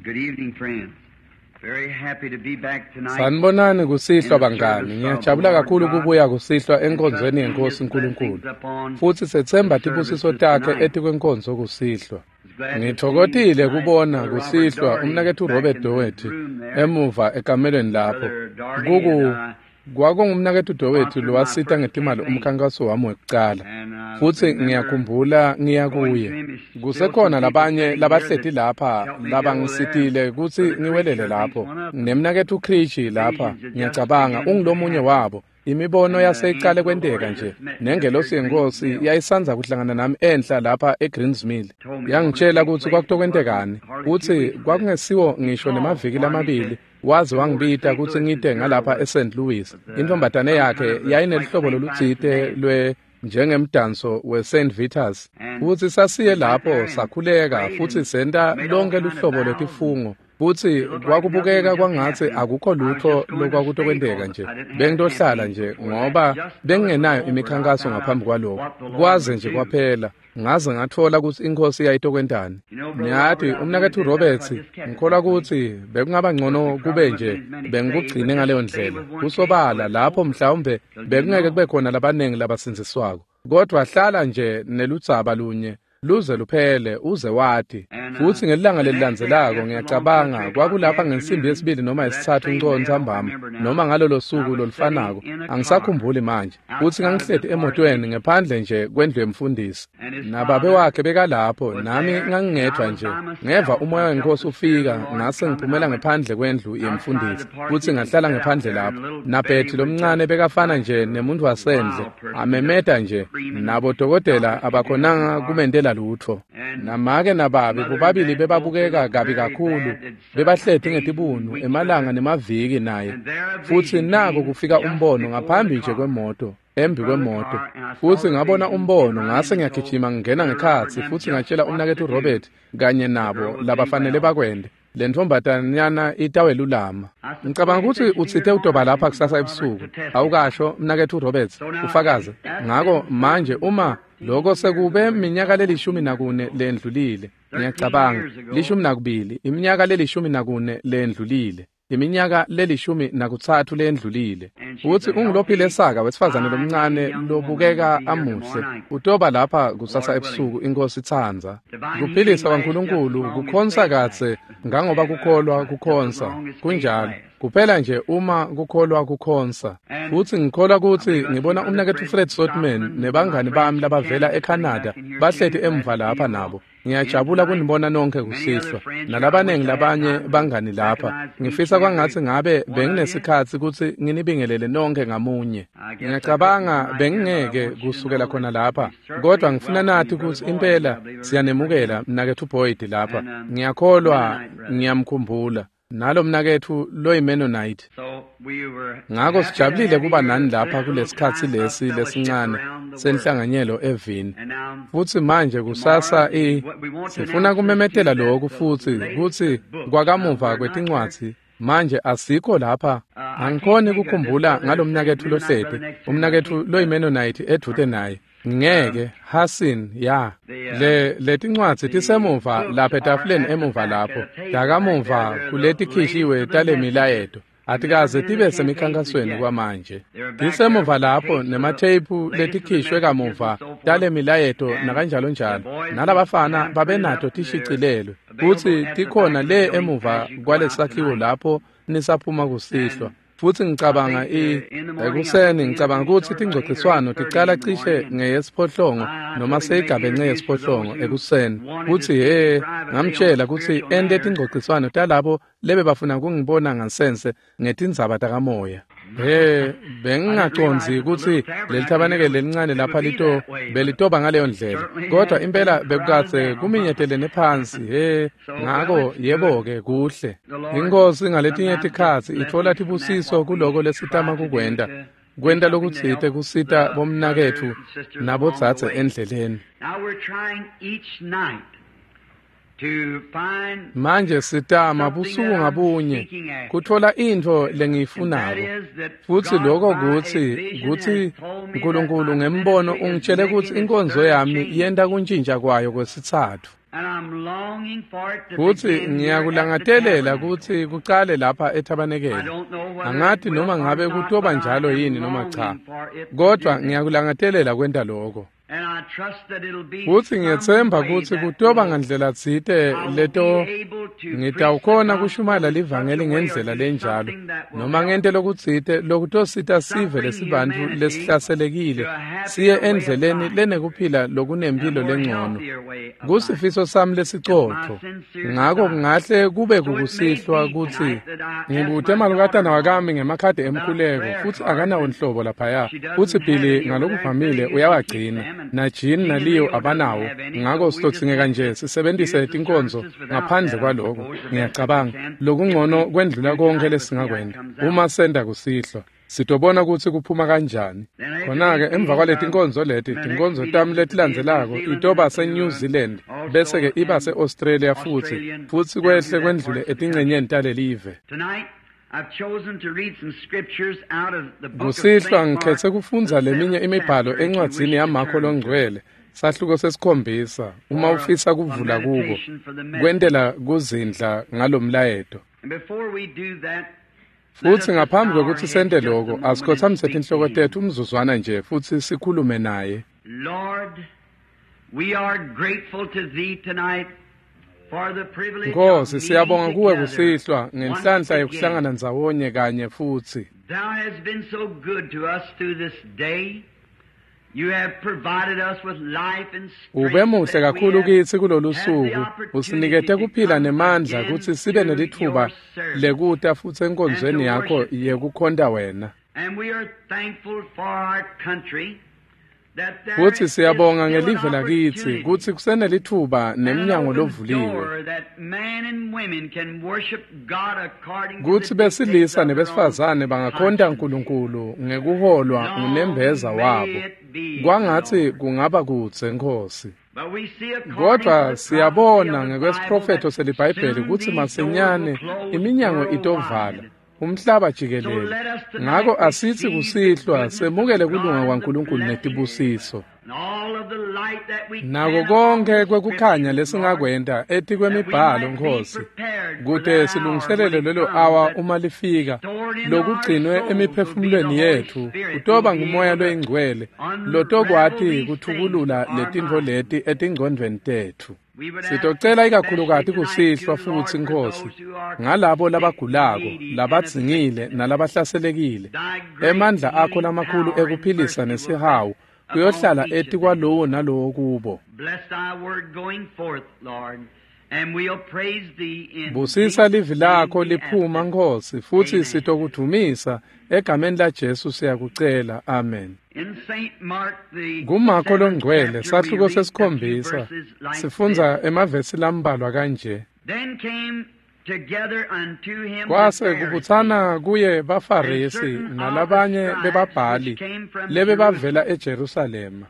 Good evening, friends. Very happy to be back tonight. Sanibonani kusihlwa bangani. Ngiyajabula kakhulu kubuya kusihlwa enkonzweni yenkosi uNkulunkulu. Futhi sethemba tibusiso takhe etikwenkonzo kusihlwa. Ngithokozile kubona kusihlwa umnakethu Robert Doherty emuva ekamelweni lapho. Kuku kwakungumnakethu Doherty lowasita ngetimali umkhankaso wami wekucala. Futhi ngiyakhumbula ngiya kuye. Kusekhona labanye labahleti lapha labangisitile kutsi ngiwelele lapho. Nemnakethu Krishi lapha ngiyacabanga ungulomunye wabo. Imibono yaseyicale kwenteka nje. Nengelosi yenkosi yayisanza kuhlangana nami enhla lapha eGreens Mill. Yangitshela kutsi kwakutokwentekani. Kutsi kwakungesiwo ngisho nemaviki lamabili waze wangibita kutsi ngite ngalapha eSt. Louis. Intombatane yakhe yayinelihlobo lolutsite lwe njengemdanso weSt. Vitus. Futsi sasiye lapho sakhuleka futsi senta lonke luhlobo lwetifungo. Futsi kwakubukeka kwangatsi akukho lutho lokwakutokwenteka nje. Bengitohlala nje ngoba bengingenayo imikhankaso ngaphambi kwalokho. Kwaze nje kwaphela. Ngaze ngatfola kutsi inkosi yayitokwentani. Niyati umnaketfu Roberts ngikholwa kutsi bekungaba ngcono kube nje bengikugcine ngaleyo ndlela. Kusobala lapho mhlawumbe bekungeke kube khona labanengi labasindziswako. Kodwa hlala nje neludzaba lunye luze luphele uze wati. Futsi ngelilanga lelilandzelako ngiyacabanga kwakulapha ngensimbi yesibili noma yesitsatfu nco ntsambama noma ngalolo suku lolufanako angisakhumbuli manje. Futsi ngangihleti emotweni ngephandle nje kwendlu yemfundisi. Nababe wakhe bekalapho nami ngangingedvwa nje. Ngeva umoya wenkosi ufika ngase ngiphumela ngephandle kwendlu yemfundisi. Futsi ngahlala ngephandle lapho. NaBetty lomncane bekafana nje nemuntu wasendle amemeta nje nabodokotela abakhonanga kumentela lutho. Namake nababe bobabili bebabukeka kabi kakhulu bebahleti ngetibunu emalanga nemaviki naye. Futsi nako kufika umbono ngaphambi nje kwemoto embi kwemoto. Futsi ngabona umbono ngase ngiyagijima ngingena ngekhatsi futsi ngatshela umnaketfu Robert kanye nabo labafanele bakwente. Le ntombatanyana itawelulama. Ngicabanga kutsi utsite utoba lapha kusasa ebusuku. Awukasho mnaketfu Roberts ufakaze. Ngako manje uma lokho sekube minyaka le-14 lendlulile ngiyacabanga 12 iminyaka le-14 lendlulile iminyaka le-13 lendlulile. Futsi ungulophile saka wesifazane lomncane lobukeka amuhle. Utoba lapha kusasa ebusuku inkosi itsandza. Kuphilisa kwaNkulunkulu kukhonsa katse ngangoba kukholwa kukhonsa. Kunjalo. Kuphela nje uma kukholwa kukhonsa. Futsi ngikholwa kutsi ngibona umnaketfu Fred Sotman nebangani bami labavela eCanada bahleti emva lapha nabo. Ngiyajabula kunibona nonke kusihlwa. Nalabanengi labanye bangani lapha. Ngifisa kwangatsi ngabe benginesikhatsi kutsi nginibingelele nonke ngamunye. Ngiyacabanga bengingeke kusukela khona lapha. Kodwa ngifuna nathi kutsi impela siyanemukela mnaketfu Boyd lapha. Ngiyakholwa ngiyamkhumbula. Nalo mnaketfu loyiMennonite. Ngako sijabulile kuba nani lapha kulesikhatsi lesi lesincane senhlanganyelo evini. Futsi manje kusasa sifuna kumemetela lokhu futsi kutsi kwakamuva kwetincwadzi manje asikho lapha. Angikhoni kukhumbula ngalomnaketfu lohleti umnaketfu loyiMennonite edvute naye. Ngeke Hasin ya le letincwadzi tisemuva lapha etafuleni emuva lapho dakamuva kuletikhishiwe talemilayeto atikaze tibe semikhankasweni kwamanje. Tisemuva lapho nematheyiphu letikhishwe kamuva talemilayeto nakanjalo njalo nalabafana babenato tishicilelwe kutsi tikhona le emuva kwalesakhiwo lapho nisaphuma kusihlwa. Futsi ngicabanga ekuseni ngicabanga kutsi tingcogciswano ticala cishe ngeyesiphohlongo noma seyigabence yesiphohlongo ekuseni. Kutsi ngamtshela kutsi ente tingcogciswano talabo lebebafuna kungibona ngasense ngetindzaba takamoya. Bengingacondzi kutsi lelithabanekele lelincane lapha belitoba ngaleyo ndlela. Kodwa impela bekukadze kuminyetelene phansi. Ngako yebo-ke kuhle. Inkosi ngaletinye tikhatsi itfola tibusiso kuloko lesitama kukwenta. Kwenta lokutsite kusita bomnaketfu nabodzadze endleleni. Manje sitama busuku ngabunye kutfola intfo lengiyifunako. Futsi lokho kutsi uNkulunkulu ngembono ungitshele kutsi inkonzo yami yenta kuntjintja kwayo kwesitsatfu. Futsi ngiyakulangatelela kutsi kucale lapha ethabanekele. Angati noma ngabe kutoba njalo yini noma cha, kodvwa ngiyakulangatelela kwenta loko. Futsi ngiyetsemba kutsi kutoba ngandlela tsite leto ngitawukhona kushumayela livangeli ngendlela lenjalo noma ngente lokutsite lokutosita sive lesibantfu lesihlaselekile siye endleleni lenekuphila lokunemphilo lengcono. Kusifiso sami lesicotfo. Ngako kungahle kube kukusihlwa kutsi ngibute malukatana wakami ngemakhadi emkhuleko futsi akanawo nhlobo laphaya. Futsi Billy ngalokuvamile uyawagcina. Na Jean na Leo abanawo, ngako sitodzingeka nje sisebentise tinkonzo ngaphandle kwaloko. Ngiyacabanga lokungcono kwendlula konke lesingakwenta uma senta kusihlwa. Sitobona kutsi kuphuma kanjani. Khona-ke emva kwaleti tinkonzo leti, tinkonzo tami letilandzelako itoba se-New Zealand, bese-ke iba se-Australia futsi kwehle kwendlule etincenyeni talelive. Kusihlwa ngikhetse kufundza leminye imibhalo encwadzini yaMakho loNgcwele, sahluko 7, uma ufisa kuvula kuko, kwentela kuzindla ngalomlayeto. Futsi ngaphambi kwekutsi sente loko, asikhotsamise tinhloko tetfu umzuzwana nje futsi sikhulume naye. Nkosi, siyabonga kuwe kusihlwa ngenhlanhla yekuhlangana ndzawonye kanye futsi. Ube muhle kakhulu kitsi kulolu suku, usinikete kuphila nemandla kutsi sibe nelitfuba lekuta futsi enkonzweni yakho yekukhonta wena. Futsi siyabonga ngelive lakitsi kutsi kusenelitfuba nemnyango lovuliwe kutsi besilisa nebesifazane bangakhonta Nkulunkulu ngekuholwa ngunembeza wabo. Kwangatsi kungaba kudze, Nkhosi. Kodvwa siyabona ngekwesiprofetho seliBhayibheli kutsi masinyane iminyango itovala umhlaba jikelele. Ngako asitsi kusihlwa semukele kulunga kwaNkulunkulu netibusiso. Nako konke kwekukhanya lesingakwenta etikwemibhalo, Nkhosi, kute silungiselele lelo awa uma lifika, lokugcinwe emiphefumulweni yetfu kutoba ngumoya loyingcwele lotokwati kuthukulula letintfo leti etingcondvweni tetfu. Sitocela ikakhulukati kusihlwa futsi, Nkhosi, ngalabo labagulako, labadzingile nalabahlaselekile. Emandla akho lamakhulu ekuphilisa nesihawu kuyohlala etikwalowo nalowo kubo. Busisa livi lakho liphuma, Nkhosi, futsi sitokudvumisa egameni laJesu siyakucela. Amen. KuMakho loNgcwele, sahluko 7, sifundza emavesi lambalwa kanje. Kwase kubutsana kuye baFarisi nalabanye bebabhali lebebavela eJerusalema.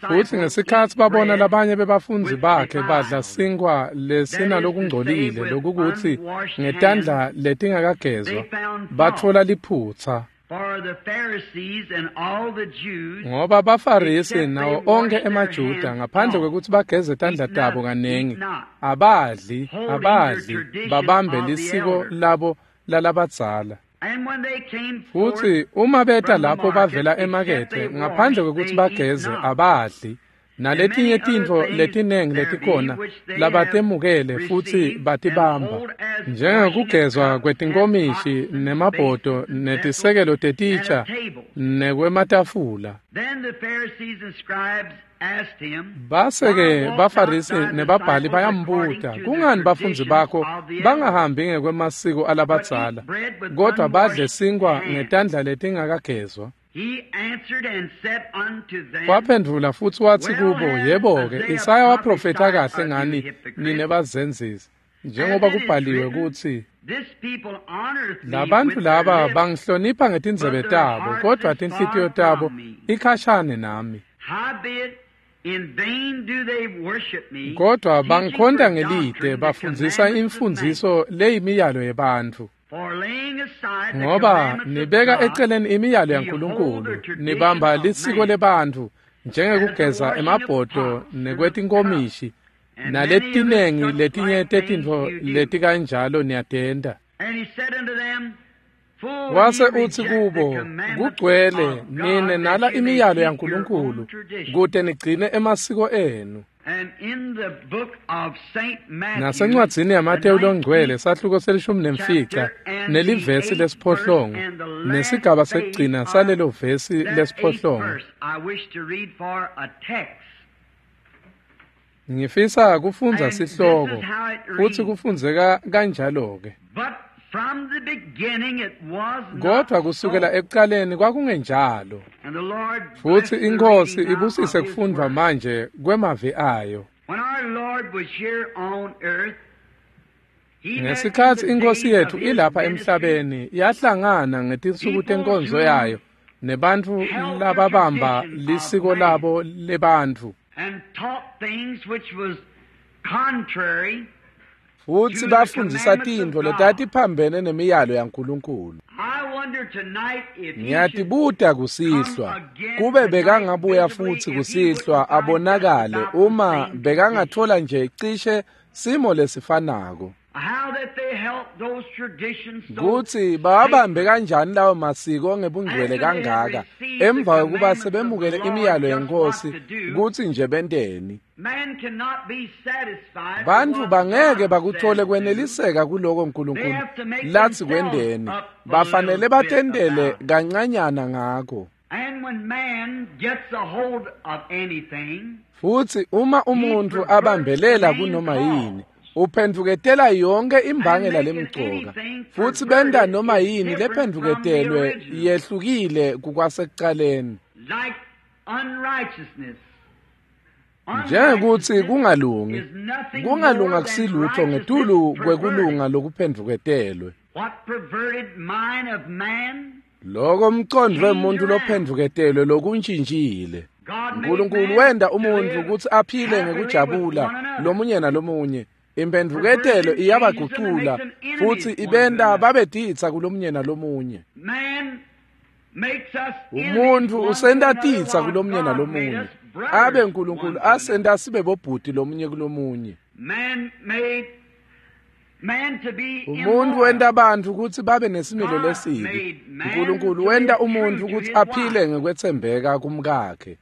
Futsi ngesikhatsi babona labanye bebafundzi bakhe badla sinkhwa lesinalokungcolile, lokukutsi ngetandla letingakagezwa, batfola liphutsa. Ngoba baFarisi nawo onkhe emaJuda ngaphandle kwekutsi bageze tandla tabo kanengi, abadli babambe lisiko labo lalabadzala. Futsi uma beta lapho bavela emakethe ngaphandle kwekutsi bageze, abadli. Naletinye tintfo letinengi letikhona labatemukele futsi batibamba, njengekugezwa kwetinkomishi nemabhodo netisekelo tetitsha nekwematafula. Base-ke baFarisi nebabhali bayambuta, kungani bafundzi bakho bangahambi ngekwemasiko alabadzala, kodvwa badle sinkhwa ngetandla letingakagezwa? Waphendvula futsi watsi kubo, yebo-ke, Isaya waprofetha kahle ngani nine bazenzisi, njengoba kubhaliwe kutsi, labantfu laba bangihlonipha ngetindzebe tabo, kodvwa tinhlitiyo tabo ikhashane nami. Kodvwa bangikhonta ngelite, bafundzisa imfundziso leyimiyalo yebantfu. Ngoba nibeka eceleni imiyalo yaNkulunkulu, nibamba lisiko lebantfu, njengekugeza emabhodo nekwetinkomishi naletinengi letinye tetintfo letikanjalo niyatenta. Wase utsi kubo, kugcwele nine nala imiyalo yaNkulunkulu kute nigcine emasiko enu. Nasencwadzini yaMateyu longcwele sahluko se-15 nelivesi lesiphohlongo nesigaba sekugcina salelo vesi lesiphohlongo. Ngifisa kufundza sihloko futsi kufundzeka kanjalo-ke. Kodwa kusukela ekucaleni kwakungenjalo. Futsi iNkhosi ibusise kufundvwa manje kwemavi ayo. Ngesikhatsi iNkhosi yetfu ilapha emhlabeni yahlangana ngetinsuku tenkonzo yayo nebantfu lababamba lisiko labo lebantfu futsi bafundzisa tintfo letatiphambene nemiyalo yaNkulunkulu. Ngiyatibuta kusihlwa, kube bekangabuya futsi kusihlwa abonakale uma bekangathola nje cishe simo lesifanako. Kutsi bawabambe kanjani lawo masiko ngebungcwele kangaka emva kwekuba sebemukele imiyalo yeNkhosi kutsi nje benteni. Bantfu bangeke bakuthole kweneliseka kuloko Nkulunkulu latsi kwenteni, bafanele batentele kancanyana ngako. Futsi uma umuntfu abambelela kunoma yini, uphendvuketela yonke imbangela lemcoka, futsi benta noma yini lephendvuketelwe yehlukile kukwasekucaleni. Njengekutsi kungalungi, kungalunga kusilutho ngetulu kwekulunga lokuphendvuketelwe. Loko mcondvo wemuntfu lophendvuketelwe lokuntjintjile. Nkulunkulu wenta umuntfu kutsi aphile ngekujabula lomunye nalomunye. Imphendvuketelo iyabagucula futsi ibenta babe titsa kulomunye nalomunye. Umuntfu usenta titsa kulomunye nalomunye, abe Nkulunkulu asenta sibe bobhuti lomunye kulomunye. Umuntfu wenta bantfu kutsi babe nesimilo lesibi. Nkulunkulu wenta umuntfu kutsi aphile ngekwetsembeka kumkakhe.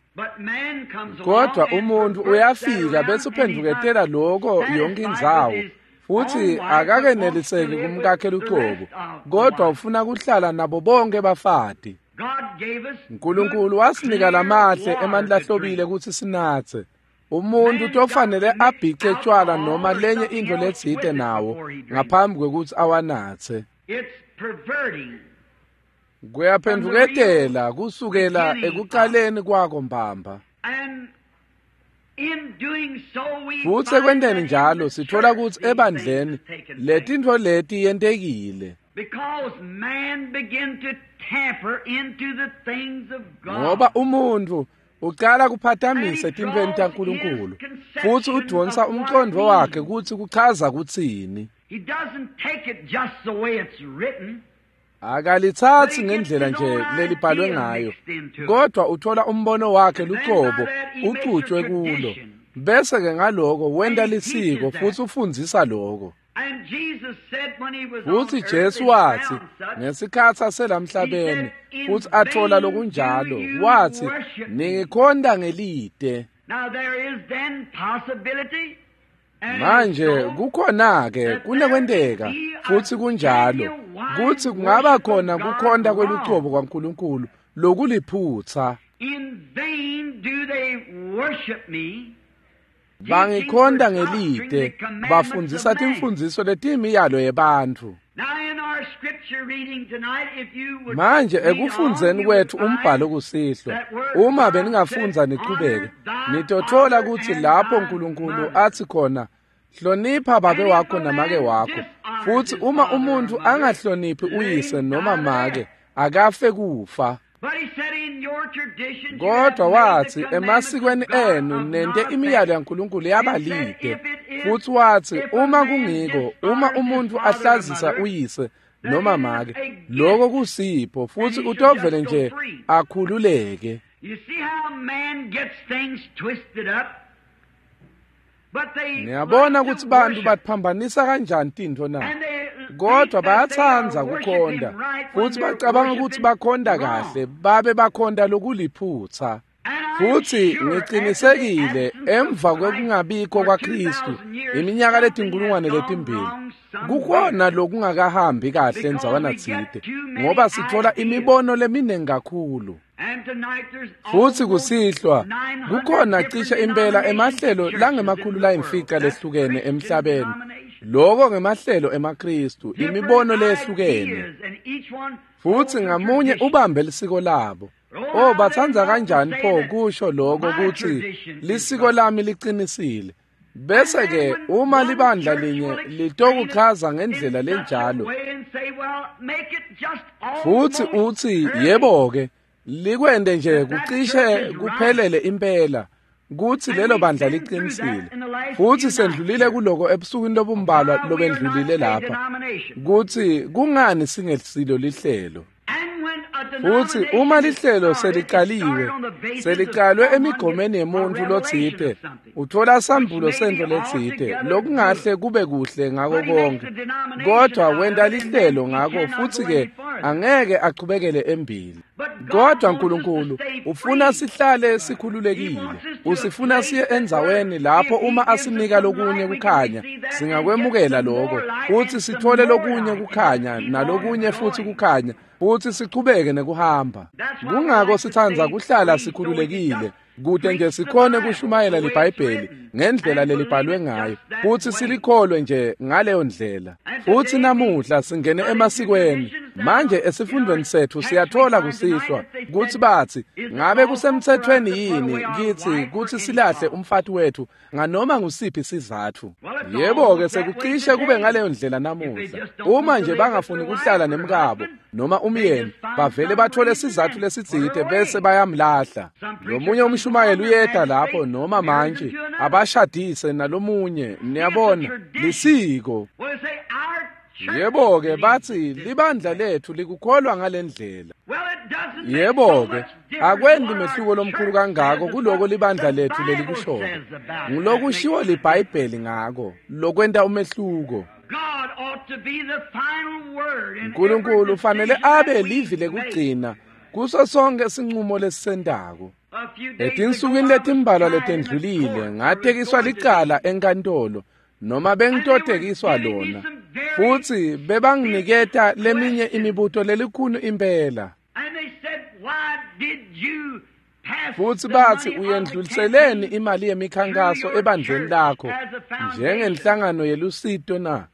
Kodwa umuntfu uyafika bese uphendvuketela loko yonke indzawo, futsi akakeneliseki kumkakhe lucobo, kodwa ufuna kuhlala nabo bonke bafati. Nkulunkulu wasinika lamahle emanti lahlobile kutsi sinatse. Umuntfu tofanele abhice tjwala noma lenye intfo letsite nawo ngaphambi kwekutsi awanatse. Kuyaphendvuketela kusukela ekucaleni kwako mbamba. Futsi ekwenteni njalo sitfola kutsi ebandleni letintfo leti yentekile. Ngoba umuntfu ucala kuphatamisa etintfweni taNkulunkulu futsi udvonsa umcondvo wakhe kutsi kuchaza kutsini. Akalitsatsi ngendlela nje lelibhalwe ngayo, kodwa uthola umbono wakhe lucobo ucutshwe kulo, bese-ke ngaloko wenta lisiko futsi ufundzisa loko. Futsi Jesu watsi ngesikhatsi aselamhlabeni futsi atfola lokunjalo, watsi ningikhonta ngelite. Manje kukhona-ke kunekwenteka futsi kunjalo kutsi kungaba khona kukhonta kwelucobo kwaNkulunkulu lokuliphutsa. Bangikhonta ngelite, bafundzisa timfundziso letiyimiyalo yebantfu. Manje ekufundzeni kwetfu umbhalo kusihlwa, uma beningafundza nichubeke, nitotfola kutsi lapho Nkulunkulu atsi khona, hlonipha babe wakho namake wakho, futsi uma umuntfu angahloniphi uyise noma make, akafe kufa. Kodwa watsi emasikweni enu nente imiyalo yaNkulunkulu yabalide, futsi watsi uma kungiko, uma umuntfu ahlazisa uyise noma make, loko kusipho futsi utovele nje akhululeke. Niyabona kutsi bantfu batiphambanisa kanjani tintfo na? Kodwa bayatsandza kukhonta futsi bacabanga kutsi bakhonta kahle babe bakhonta lokuliphutsa. Futsi ngicinisekile emva kwekungabikho kwaKhristu iminyaka letinkulungwane letimbili kukhona lokungakahambi kahle ndzawana tsite ngoba sitfola imibono leminingi kakhulu. Futsi kusihlwa kukhona cishe impela emahlelo langemakhulu layimfica lehlukene emhlabeni. Loko ngemahlelo emaKhristu, imibono lehlukene. Futsi ngamunye ubambe lisiko labo. Oh, batsandza kanjani pho kusho lokho kutsi lisiko lami liqinisile. Bese ke uma libandla linye litokuchaza ngendlela lenjalo futsi utsi yebo ke likwende nje kucishe kuphelele impela kutsi lelo bandla liqinisile. Futsi sendlulile kuloko ebusukwini lobumbalwa lobendlulile lapha kutsi kungani singesilo lihlelo. Futsi uma lihlelo selicaliwe, selicalwe emigomeni yemuntfu lotsite, utfola sambulo sentfo letsite lokungahle kube kuhle ngako konke, kodwa wenta lihlelo ngako futsi-ke angeke achubekele embili. Kodwa Nkulunkulu ufuna sihlale sikhululekile. Usifuna siye endzaweni lapho uma asinika lokunye kukhanya singakwemukela lokho futsi sithole lokunye kukhanya nalokunye futsi kukhanya futsi sichubeke nekuhamba. Kungako sitsandza kuhlala sikhululekile kute nje sikhone kushumayela liBhayibheli ngendlela lelibhalwe ngayo futsi silikholwe nje ngaleyo ndlela. Futsi namuhla singene emasikweni. Manje esifundweni setfu siyathola kusihlwa kutsi batsi ngabe kusemtsetfweni yini kitsi kutsi silahle umfati wetfu nganoma ngusiphi sizatfu. Yebo-ke sekucishe kube ngaleyo ndlela namuhla. Uma nje bangafuni kuhlala nemkabo noma umyeni bavele bathole sizatfu lesitsite bese bayamlahla. Lomunye umshumayeli uyeta lapho noma manje abashadise nalomunye. Niyabona lisiko. Yebo-ke batsi libandla letfu likukholwa ngalendlela. Yebo-ke akwendi mehluko lomkhulu kangako kuloko libandla letfu lelikushoko. Ngulokushiwo liBhayibheli ngako lokwenta umehluko. Nkulunkulu ufanele abe livi lekugcina kuso sonke sinqumo lesisentako. Etinsukwini letimbalwa letendlulile ngatekiswa licala enkantolo noma bengitotekiswa lona futsi bebanginiketa leminye imibuto lelikhulu impela. Futsi batsi uyendluliseleni imali yemikhankaso ebandleni lakho njengenhlangano yelusito na?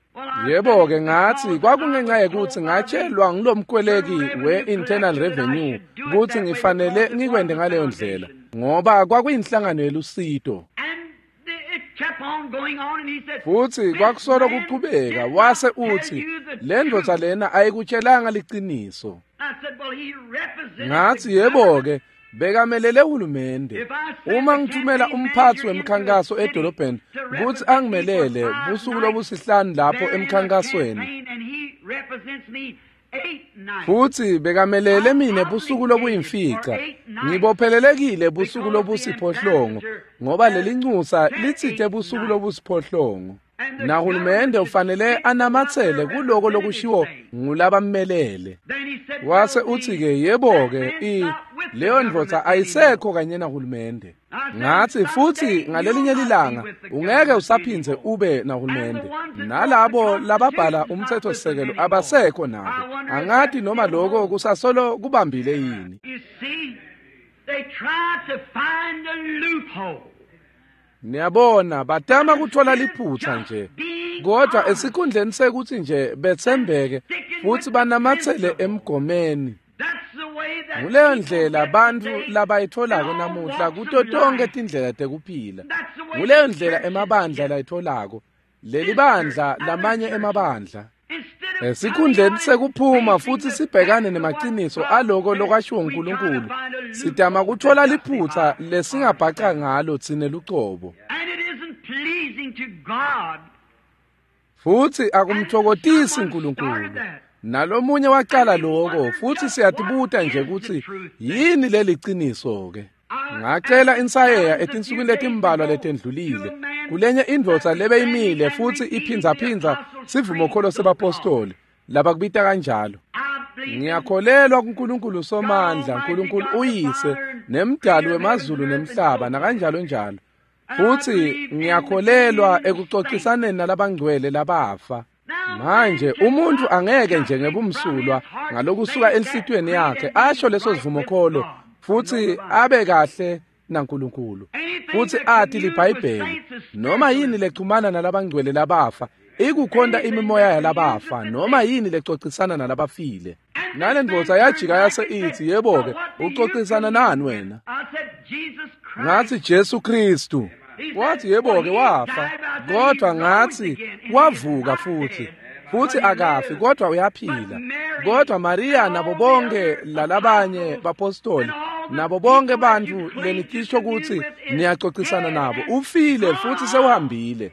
Yebo-ke ngatsi kwakungenxa yekutsi ngatshelwa ngulomkweleki we-Internal Revenue kutsi ngifanele ngikwente ngaleyo ndlela ngoba kwakuyinhlangano yelusito. Futsi kwakusolo kuchubeka wase utsi le ndvodza lena ayikutshelanga liciniso. Ngatsi yebo-ke bekamelele hulumende. Uma ngithumela umphatsi wemkhankaso edolobheni kutsi angimelele busuku lobusihlanu lapho emkhankasweni futsi bekamelele mine busuku lobuyimfica, ngibophelelekile busuku lobusiphohlongo ngoba lelincusa litsite busuku lobusiphohlongo. Nahulumende ufanele anamatsele kuloko lokushiwo ngulabammelele. Wase utsi-ke yebo-ke leyo ndvodza ayisekho kanye nahulumende. Ngatsi futsi ngalelinye lilanga ungeke usaphindze ube nahulumende. Nalabo lababhala umtsetfosisekelo abasekho nabo. Angati noma loko kusasolo kubambile yini. Niyabona batama kuthola liphutsa nje kodwa esikhundleni sekuthi nje betsembeke futsi banamatsele emgomeni. Nguleyo ndlela bantfu labayitholako namuhla kuto tonke tindlela tekuphila. Nguleyo ndlela emabandla layitholako. Leli bandla lamanye emabandla. Esikhundleni sekuphuma futsi sibhekane nemaciniso aloko lokwashiwo nguNkulunkulu, sitama kuthola liphutsa lesingabhaca ngalo tsine lucobo. Futsi akumtfokotisi uNkulunkulu. Nalomunye wacala lokho, futhi siyatibuta nje ukuthi yini leli qiniso ke. Ngacela insayeya etinsukwini letimbalwa letendlulile kulenye indvodza lebeyimile futhi iphinzaphindza sivumokholo sebapostoli labakubita kanjalo. Ngiyakholelwa kuNkulunkulu Somandla, uNkulunkulu uyise nemdali wemazulu nemhlaba nakanjalo njalo. Futhi ngiyakholelwa ekuxoxisaneni nalabangcwele labafa. Manje umuntu angeke nje ngebumsulwa ngalokusuka enhlitiyweni yakhe asho leso sivumokholo futhi abe kahle naNkulunkulu futhi athi liBhayibheli noma yini lexhumana nalabangcwele labafa ikukhonta imimoya yalabafa noma yini lexoxisana nalabafile. Nale ndvodza yajika yase ithi, yebo-ke, uxoxisana nani wena? Ngathi Jesu Kristu. Wathi yebo-ke wafa, kodwa ngathi wavuka futhi. Futhi akafi kodwa uyaphila. Kodwa Maria nabo bonke lalabanye bapostoli nabo bonke bantu lenitisho ukuthi niyaxoxisana nabo ufile futhi sewuhambile.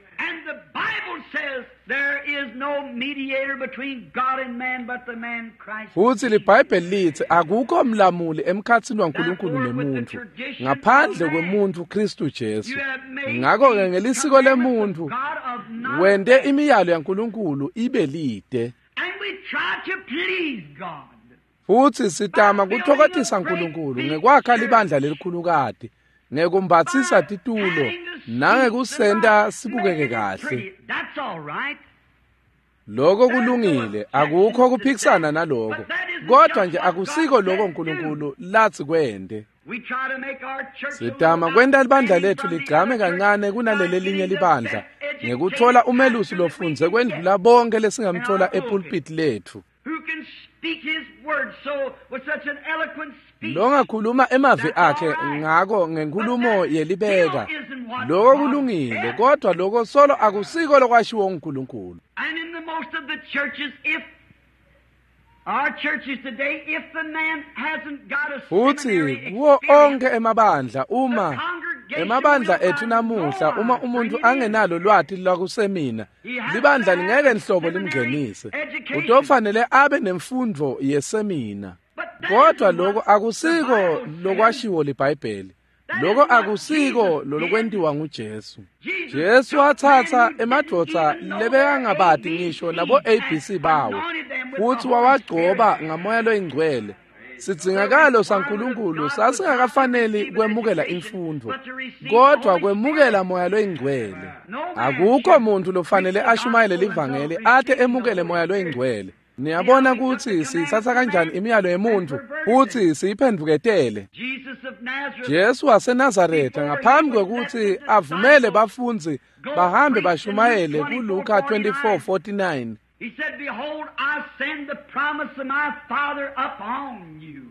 Futhi liBhayibheli lithi akukho mlamuli emkhathini waNkulunkulu nemuntu ngaphandle kwemuntu Kristu Jesu. Ngakho-ke ngelisiko lemuntu wente imiyalo yaNkulunkulu ibe lide. Futhi sitama kuthokothisa uNkulunkulu ngekwakha libandla lelikhulukati, ngekumbatsisa titulo nangekusenta sibukeke kahle. Lokho kulungile, akukho kuphikisana naloko, kodwa nje akusiko lokho uNkulunkulu lathi kwente. Sitama kwenta libandla lethu ligcame kancane kunaleli linye libandla ngekuthola umelusi lofundze kwendlula bonke lesingamthola epulpit lethu. Longakhuluma emavi akhe ngako ngenkulumo yelibeka. Lokho kulungile, kodwa lokho solo akusiko lokwashiwo uNkulunkulu. Futhi kuwo onke emabandla, uma emabandla ethu namuhla, uma umuntu angenalo lwati lwakusemina, libandla lingeke nhlobo limngenise. Utofanele abe nemfundo yesemina. Kodwa lokho akusiko lokwashiwo liBhayibheli. Lokho akusiko lolokwentiwa nguJesu. Jesu wathatha emadvodza lebekangabati ngisho nabo ABC bawo, futhi wawagcoba ngamoya loyingcwele. Sidzingakalo saNkulunkulu sasingakafaneli kwemukela imfundo, kodwa kwemukela moya loyingcwele. Akukho muntu lofanele ashumayele livangeli ate emukele moya loyingcwele. Niyabona ukuthi siyithatha kanjani imiyalo yemuntu futhi siyiphenduketele. Jesu waseNazaretha ngaphambi kwekuthi avumele bafundzi bahambe bashumayele kuLuka 24:49. He said, "Behold, I send the promise of my Father upon you."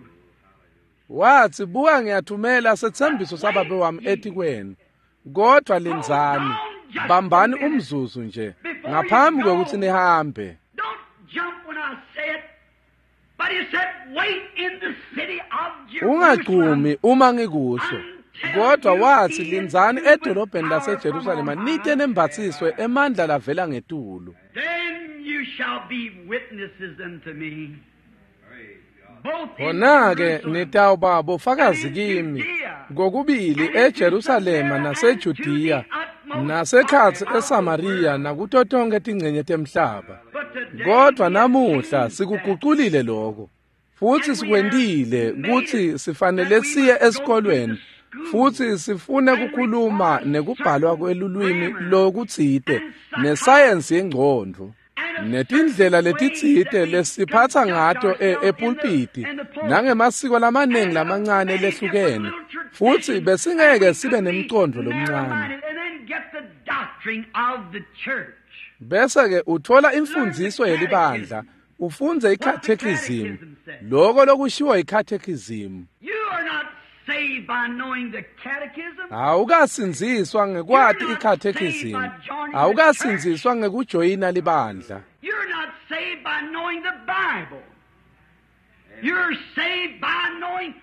Wathi, buka ngiyathumela sethembiso sababe wami etikwenu. Kodwa lindzani, bambani umzuzu nje ngaphambi kwekuthi nihambe. Don't jump when I say it. But he said, "Wait in the city of Jerusalem." Ungagcumi uma ngikusho. Kodwa wathi lindzani edolobheni laseJerusalema nite nembathiswe emandla lavela ngetulu. Then you shall be witnesses unto me. Khona-ke nitawuba bofakazi kimi kokubili eJerusalema naseJudiya nasekhatsi eSamariya nakuto tonke tingcenye temhlaba. Kodwa namuhla sikuguculile lokho futhi sikwentile kutsi sifanele siye esikolweni futhi sifune kukhuluma nekubhalwa kwelulwimi lokutsite nesayensi yengcondvo netindlela letitsite lesiphatha ngato epulpiti nangemasiko lamaningi lamancane lehlukene, futhi besingeke sibe nemcondvo lomncane. Bese-ke uthola imfundiso yelibandla, ufundze i-catechism, loko lokushiwo i-catechism. Awukasindziswa ngekwati i-catechism, awukasindziswa ngekujoyina libandla.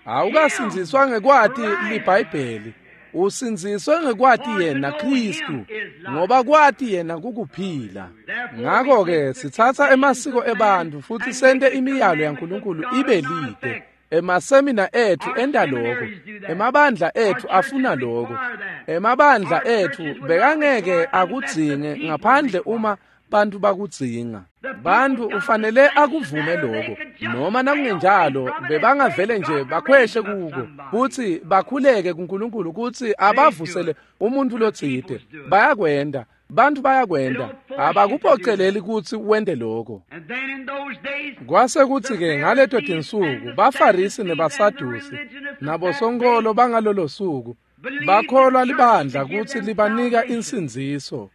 Awukasindziswa ngekwati liBhayibheli, Usindziswe ngekwati yena Kristu, ngoba kwati yena kukuphila. Ngakho-ke sitsatsa emasiko ebantfu futsi sente imiyalo yaNkulunkulu ibe lide. Emasemina ethu enta loko, emabandla ethu afuna loko. Emabandla ethu bekangeke akudzinge ngaphandle uma bantu bakudzinga. Bantu ufanele akuvume lokho, noma nakungenjalo bebangavele nje bakhweshe kuko kutsi bakhuleke kuNkulunkulu kutsi abavusele umuntu lotsite. Bayakwenda, bantu bayakwenda, abakuphoceleli kutsi wente lokho. Kwase kutsi-ke ngaleto tinsuku baFarisi nebaSadusi nabosonkholo bangalolo suku bakholwa libandla kutsi libanika insindziso.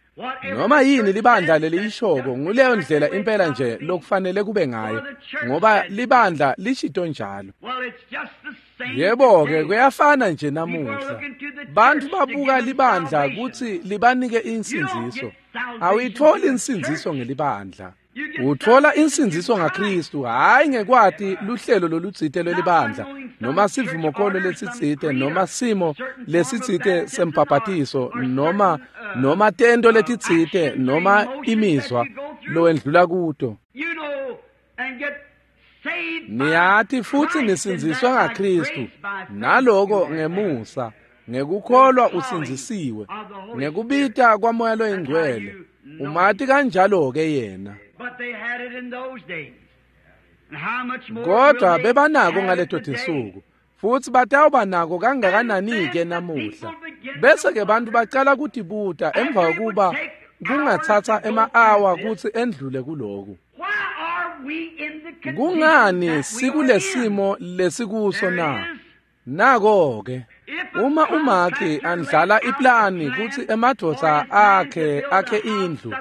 Noma yini libandla leliyishoko nguleyo ndlela impela nje lokufanele kube ngayo, ngoba libandla lishito njalo. Yebo-ke kuyafana nje namuhla. Bantu babuka libandla kutsi libanike insindziso. Awuyitholi insindziso ngelibandla. Uthola insindziso ngaKristu, hhayi ngekwati luhlelo lolutsite lwelibandla, noma sivumokholo lesitsite, noma simo lesitsite sembhabhatiso, noma tento letitsite, noma imizwa lowendlula kuto. Niyati futsi nisindziswe ngaKristu, naloko ngemusa, ngekukholwa usindzisiwe, ngekubita kwaMoya loyiNgcwele. Umati kanjalo-ke yena. Kodwa bebanako ngaleto tinsuku, futsi batawuba nako kangakanani-ke namuhla. Bese-ke bantu bacala kutibuta emva kokuba kungatsatsa ema-awa kutsi endlule kuloku. Kungani sikulesimo lesikuso na? Nako-ke, uma umakhi andlala iplani kutsi emadvodza akhe akhe indlu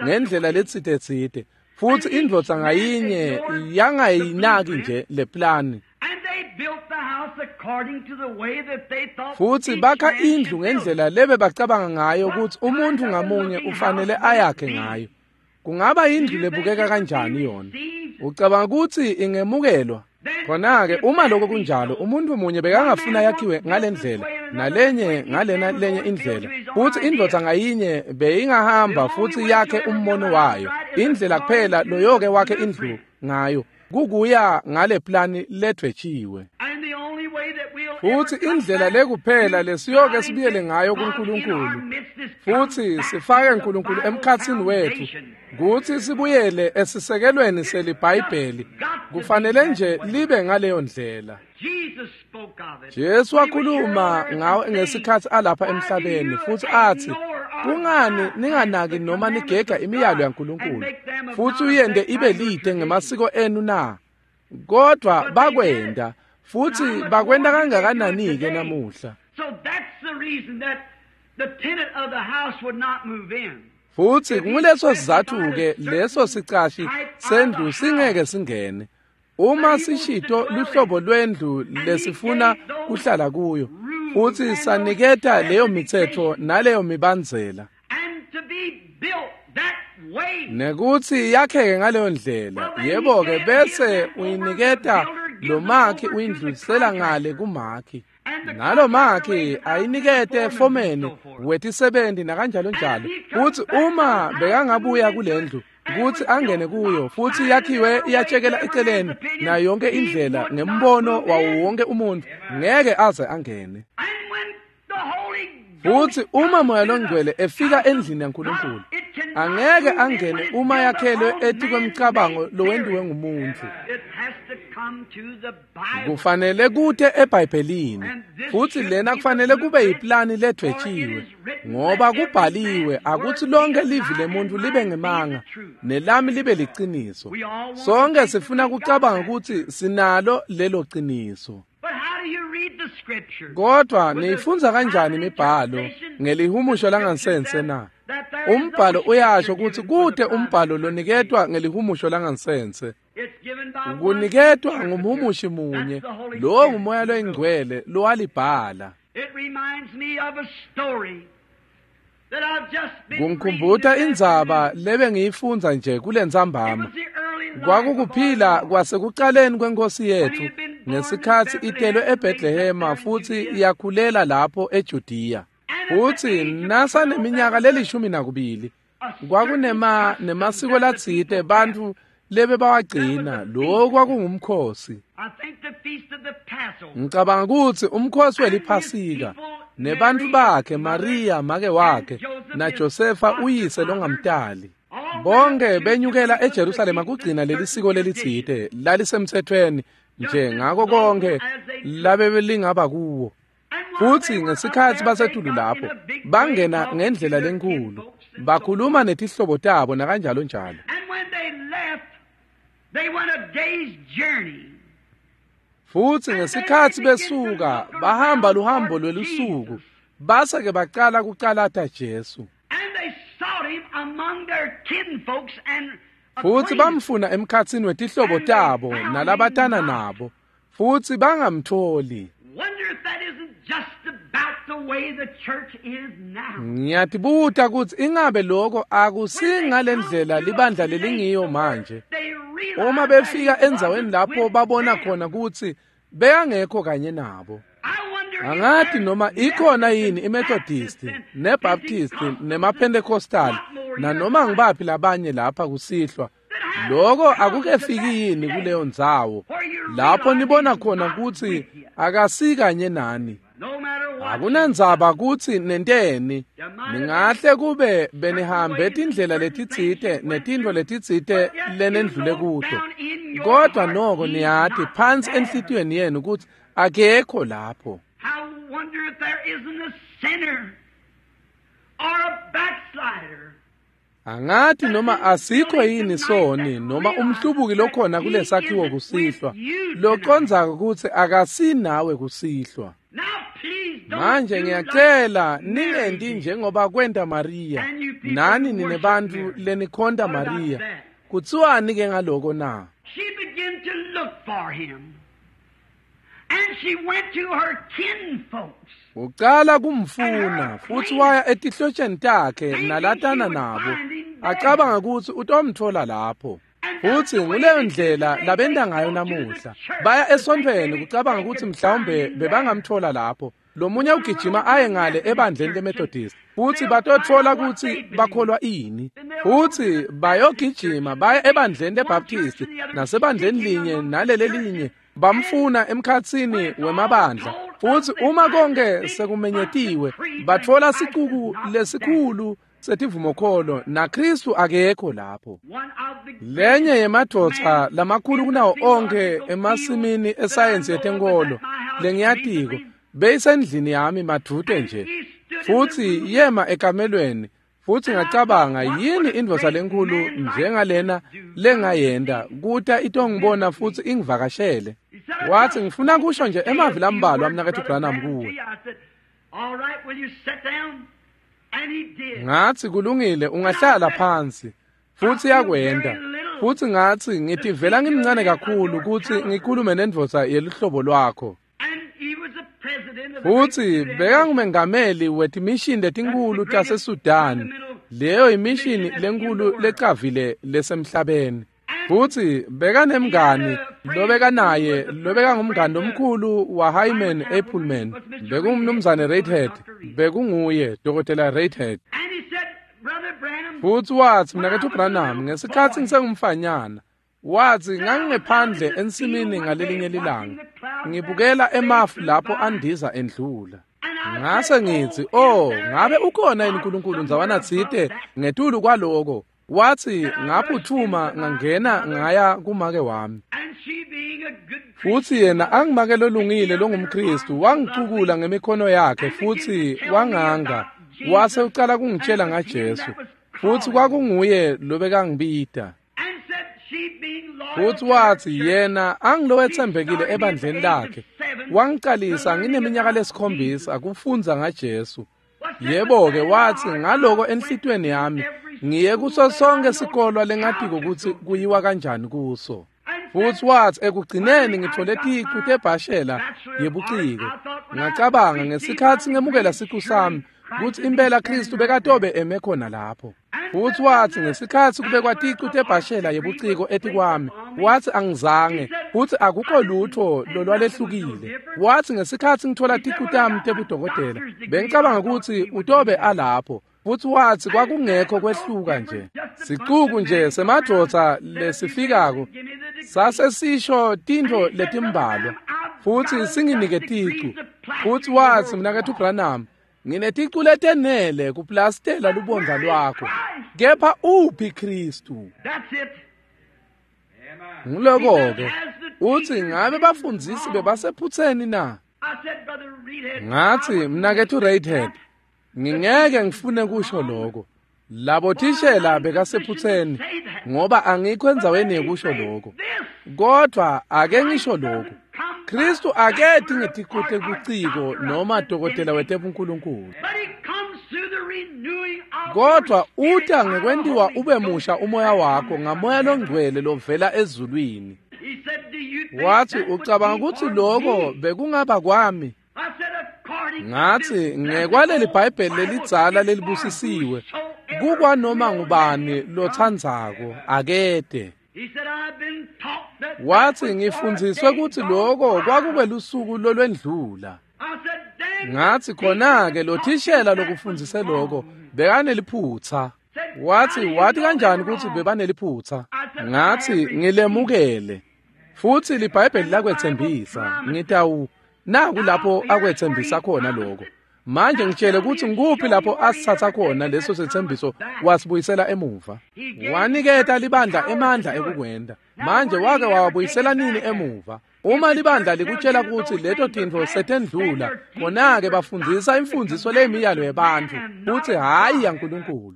ngendlela letsite-tsite, futsi indvodza ngayinye yangayinaki nje le plani, futsi bakha indlu ngendlela lebe bacabanga ngayo kutsi umuntfu ngamunye ufanele ayakhe ngayo. Kungaba indlu lebukeka kanjani yona? Ucabanga kutsi ingemukelwa? Khona-ke uma lokho kunjalo, umuntu munye bekangafuna yakhiwe ngalendlela, nalenye ngalena lenye indlela, futsi indvodza ngayinye beyingahamba futsi yakhe umbono wayo. Indlela kuphela loyoke wakhe indlu ngayo kukuya ngale plani ledvwetshiwe. Futsi indlela lekuphela lesiyoke sibuyele ngayo kuNkulunkulu futsi sifake uNkulunkulu emkhatsini wethu kutsi sibuyele esisekelweni seliBhayibheli. Kufanele nje libe ngaleyo ndlela. Jesu wakhuluma ngawe ngesikhatsi alapha emhlabeni futsi atsi, kungani ninganaki noma nigega imiyalo yaNkulunkulu futsi uyente ibe lide ngemasiko enu na? Kodwa bakwenda, futsi bakwenta kangakanani-ke namuhla. Futsi nguleso sizatfu-ke leso sicashi sendlu singeke singene. Uma sishito luhlobo lwendlu lesifuna kuhlala kuyo, futsi saniketa leyo mitsetfo naleyo mibandzela, nekutsi yakheke ngaleyo ndlela, yebo-ke bese uyiniketa lo makhi uyindlulisela ngale kumakhi, nalo makhi ayinikete fomeni wetisebenti nakanjalo njalo. Futsi uma bekangabuya kulendlu kutsi angene kuyo futsi yakhiwe iyatshekela eceleni nayo yonke indlela ngembono wawo wonke umuntu, ngeke aze angene. Futsi uma Moya loNgcwele efika endlini yaNkulunkulu, angeke angene uma yakhelwe etikwemicabango lowentiwe ngumuntu. Kufanele kute eBhayibhelini, futsi lena kufanele kube yiplani ledvwetshiwe, ngoba kubhaliwe akutsi lonke livi lemuntu libe ngemanga nelami libe liciniso. Sonke sifuna kucabanga kutsi sinalo lelo ciniso. Kodwa niyifundza kanjani imibhalo ngelihumusho langansense na? Umbhalo uyasho kutsi kute umbhalo loniketwa ngelihumusho langansense. Kuniketwa ngumhumushi munye, lowo nguMoya loyiNgcwele lowalibhala. Kungikhumbuta indzaba lebe ngiyifundza nje kulentsambama. Kwakukuphila kwasekucaleni kwenkosi yethu Ngesikhatsi itelwe eBethlehema futsi yakhulela lapho eJudiya. Futsi nasaneminyaka le-12 kwakunema nemasiko latsite bantfu lebebawagcina. Lokhu kwakungumkhosi. Ngicabanga kutsi umkhosi weliPhasika nebantfu bakhe, Maria make wakhe naJosefa uyise longamtali, bonke benyukela eJerusalema kugcina lelisiko lelitsite lalisemtsetfweni nje ngako konke labebelingaba kuwo. Futsi ngesikhatsi basetulu lapho bangena ngendlela lenkhulu, bakhuluma netihlobo tabo nakanjalo njalo. Futsi ngesikhatsi besuka bahamba luhambo lwelusuku, base-ke bacala kucalata Jesu. Futsi bamfuna emkhatsini wetihlobo tabo nalabatana nabo, futsi bangamtfoli. Ngiyatibuta kutsi ingabe lokho akusingalendlela libandla lelingiyo manje. Uma befika endzaweni lapho babona khona kutsi bekangekho kanye nabo. Angati noma ikhona yini iMethodist, neBaptist, nemaPentecostal, nanoma ngibaphi labanye lapha kusihlwa. Lokho akukefiki yini kuleyo ndzawo lapho nibona khona kutsi akasikanye nani. Akunandzaba kutsi nenteni, ningahle kube benihambe tindlela letitsite netintfo letitsite lenendlule kuto, kodwa noko niyati phansi enhlitiyweni yenu kutsi akekho lapho. Angati noma asikho yini soni noma umhlubuki lokhona kulesakhiwo kusihlwa locondzako kutsi akasinawe kusihlwa. Manje ngiyacela ningenti njengoba kwenta Maria, nani nine bantfu lenikhonta Maria. Kutsiwani ke ngaloko na? She began to look for him. And she went to her kinfolks. Ucala kumfuna futsi waya etihlotsheni takhe nalatana nabo, acabanga kutsi utomtfola lapho. Futsi nguleyo ndlela labenta ngayo namuhla. Baya esontfweni kucabanga kutsi mhlawumbe bebangamtfola lapho. Lomunye ugijima aye ngale ebandleni leMethodist, futsi batotfola kutsi bakholwa ini. Futsi bayogijima baye ebandleni leBaptist nasebandleni linye nalelelinye, bamfuna emkhatsini wemabandla. Futsi uma konke sekumenyetiwe, batfola sicuku lesikhulu setivumokholo, naKristu akekho lapho. Lenye yemadvodza lamakhulu kunawo onke emasimini esayensi yetenkolo lengiyatiko beyisendlini yami madvute nje, futsi yema ekamelweni. Futsi ngacabanga, yini indvodza lenkhulu njengalena lengayenta kuta itongibona futsi ingivakashele? Watsi, ngifuna kusho nje emavi lambalwa mnaketfu Branham kuwe. Ngatsi, kulungile, ungahlala phansi. Futsi yakwenta. Futsi ngatsi, ngitivela ngimncane kakhulu kutsi ngikhulume nendvodza yeluhlobo lwakho. Futsi bekangumengameli wetimishini letinkhulu taseSudan, leyo imishini lenkhulu lecavile lesemhlabeni. Futsi bekanemngani lobekanaye lobekangumngani lomkhulu wa Hyman Appleman, bekungumnumzane Redhead, bekunguye Dr. Redhead. Futsi watsi, mnaketfu Branham, ngesikhatsi ngisengumfanyana, watsi ngangingephandle ensimini ngalelinye lilanga, ngibukela emafu lapho andiza endlula. Ngase ngitsi, oh, ngabe ukhona yini uNkulunkulu ndzawana tsite ngetulu kwaloko? Watsi ngaphuthuma ngangena ngaya kumake wami. Futsi yena angimake lolungile longumKristu, wangicukula ngemikhono yakhe futsi wanganga, wase ucala kungitshela ngaJesu. Futsi kwakunguye lobekangibita. Futsi watsi yena angilowetsembekile ebandleni lakhe, wangicalisa ngineminyaka lesikhombisa kufundza ngaJesu. Yebo-ke, watsi ngaloko enhlitiyweni yami ngiye kuso sonke sikolwa lengatiko kutsi kuyiwa kanjani kuso. Futsi watsi ekugcineni ngithole ticu tebhashela yebuciko. Ngacabanga ngesikhatsi ngemukela sicu sami kutsi impela Kristu bekatobe eme khona lapho. Futsi watsi ngesikhatsi kubekwa ticu tebhashela yebuciko etikwami, watsi angizange, Futsi akukho lutho lolwalehlukile. Wathi ngesikhatsi ngithola ticu tami tebudokotela, bengicabanga kutsi utobe alapho. Futsi wathi kwakungekho kwehluka nje. Sicuku nje semadvodza lesifikako sase sisho tintfo letimbalwa futsi singinike ticu. Futsi wathi mnaketfu Branham, ngineticu letenele kuplastela lubondza lwakho. Kepha uphi Kristu? Nguloko-ke uthi ngabe bafundzisi bebasephutseni na? Ngathi mnaketfu Reidhead, ngingeke ngifune kusho lokho. Labo thishela bekasephutseni ngoba angikho endzaweni yekusho lokho. Kodwa ake ngisho lokho. Kristu aketi ngeticu tekuciko noma dokotela wetebunkulunkulu. Kodwa uta ngekwentiwa ube musha umoya wakho ngamoya longcwele lovela ezulwini. Wathi ucabanga kutsi lokho bekungaba kwami? Ngathi ngekwaleli Bhayibheli lelidzala lelibusisiwe, kukwanoma ngubani lotsandzako akete. Wathi ngifundziswe kutsi lokho kwakukwelusuku lolwendlula. Ngathi khona-ke lo thishela lokufundzise lokho bekaneliphutsa. Wathi wathi kanjani kutsi bebaneliphutsa? Ngathi ngilemukele. Futsi liBhayibheli lakwetsembisa, ngitawu naku lapho akwetsembisa khona lokho. Manje ngitshele kutsi ngikuphi lapho asithatha khona leso setsembiso wasibuyisela emuva. Waniketa libandla emandla ekukwenta. Manje wake wawabuyisela nini emuva? Uma libandla likutshela kutsi leto tintfo setendlula, khona-ke bafundzisa imfundziso leyimiyalo yebantfu kutsi hhayi yaNkulunkulu.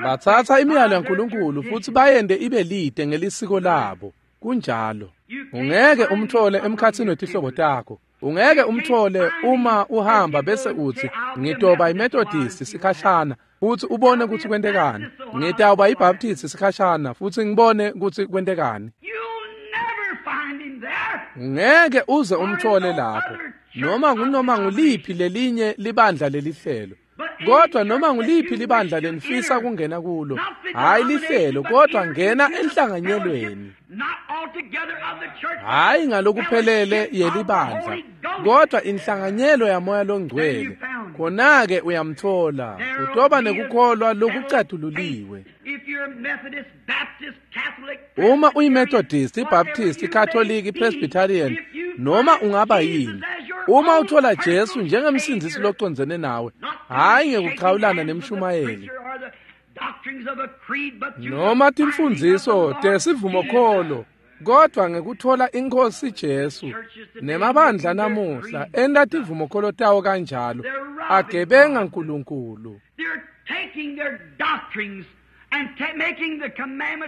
Batsatsa imiyalo yaNkulunkulu futsi bayente ibe lide ngelisiko labo. Kunjalo. Ungeke umthole emkhatsini wetihlobo takho. Ungeke umthole uma uhamba bese uthi ngitoba iMethodist sikhashana futsi ubone kutsi kwentekani. Ngitawuba iBaptist sikhashana futsi ngibone kutsi kwentekani. Ungeke uze umthole lapho noma ngunoma nguliphi lelinye libandla lelihlelo. Kodwa noma nguliphi libandla lenifisa kungena kulo, hhayi lihlelo, kodwa ngena enhlanganyelweni. Hhayi ngalokuphelele yelibandla, kodwa inhlanganyelo yamoya longcwele. Khona-ke uyamthola, utoba nekukholwa lokucatululiwe. Uma uyiMethodist, iBaptist, iKatolika, iPresbyterian, noma ungaba yini, uma uthola Jesu njengemsindzisi locondzene nawe, hhayi ngekuchawulana nemshumayeli noma timfundziso tesivumokholo, kodwa ngekuthola iNkhosi Jesu. Nemabandla namuhla enta tivumokholo tawo kanjalo, agebenga Nkulunkulu.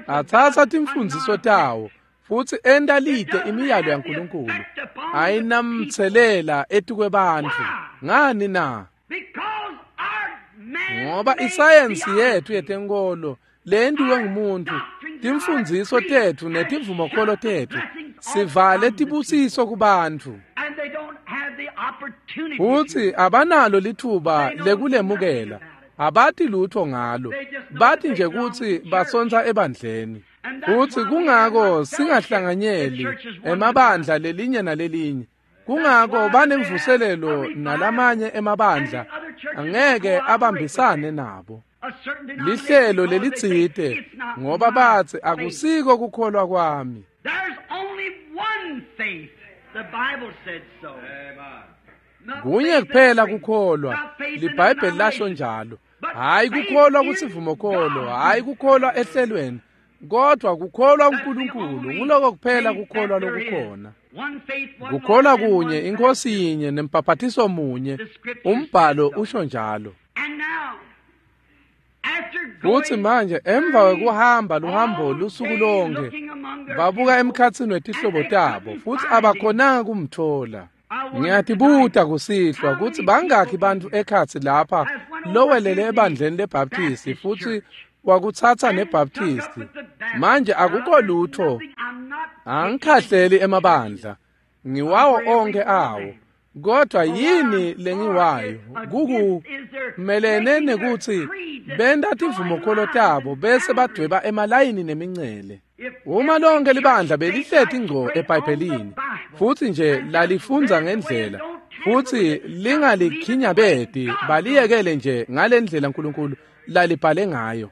Atsatsa timfundziso tawo futsi enta lide imiyalo yaNkulunkulu, ayinamtselela etikwebantfu. Ngani na? Ngoba isayensi yetfu yetenkolo leyentiwe ngumuntu, timfundziso tetfu netivumokholo tetfu sivale tibusiso kubantfu, futsi abanalo litfuba lekulemukela. Abati lutho ngalo, bati nje kutsi basontsa ebandleni. Futsi kungako singahlanganyeli emabandla lelinye nalelinye. Kungako banemvuselelo nalamanye emabandla angeke abambisane nabo. Lihlelo lelitsite ngoba batsi akusiko kukholwa kwami. Kunye kuphela kukholwa, liBhayibheli lasho njalo. Hhayi kukholwa kusivumokholo, hhayi kukholwa ehlelweni, kodwa kukholwa uNkulunkulu. Nguloko kuphela kukholwa lokukhona. Kukholwa kunye, iNkhosi yinye, nembhaphathiso munye. Umbhalo usho njalo. Futsi manje emva kwekuhamba luhambo lusuku lonke, babuka emkhatsini wetihlobo tabo futsi abakhonanga kumthola. Ngiyatibuta kusihlwa kutsi bangakhi bantfu ekhatsi lapha lowelele ebandleni leBaptisti futsi wakutsatsa neBaptisti. Manje akukho lutho, angikhahleli emabandla, ngiwawo onkhe awo. Kodwa yini lengiwayo kukumelene nekuthi benta tivumokholo tabo bese badweba emalayini nemincele. Uma lonke libandla belihleti ngco eBhayibhelini futhi nje lalifundza ngendlela futhi lingalikhinyabedi baliyekele nje ngalendlela uNkulunkulu lalibhale ngayo.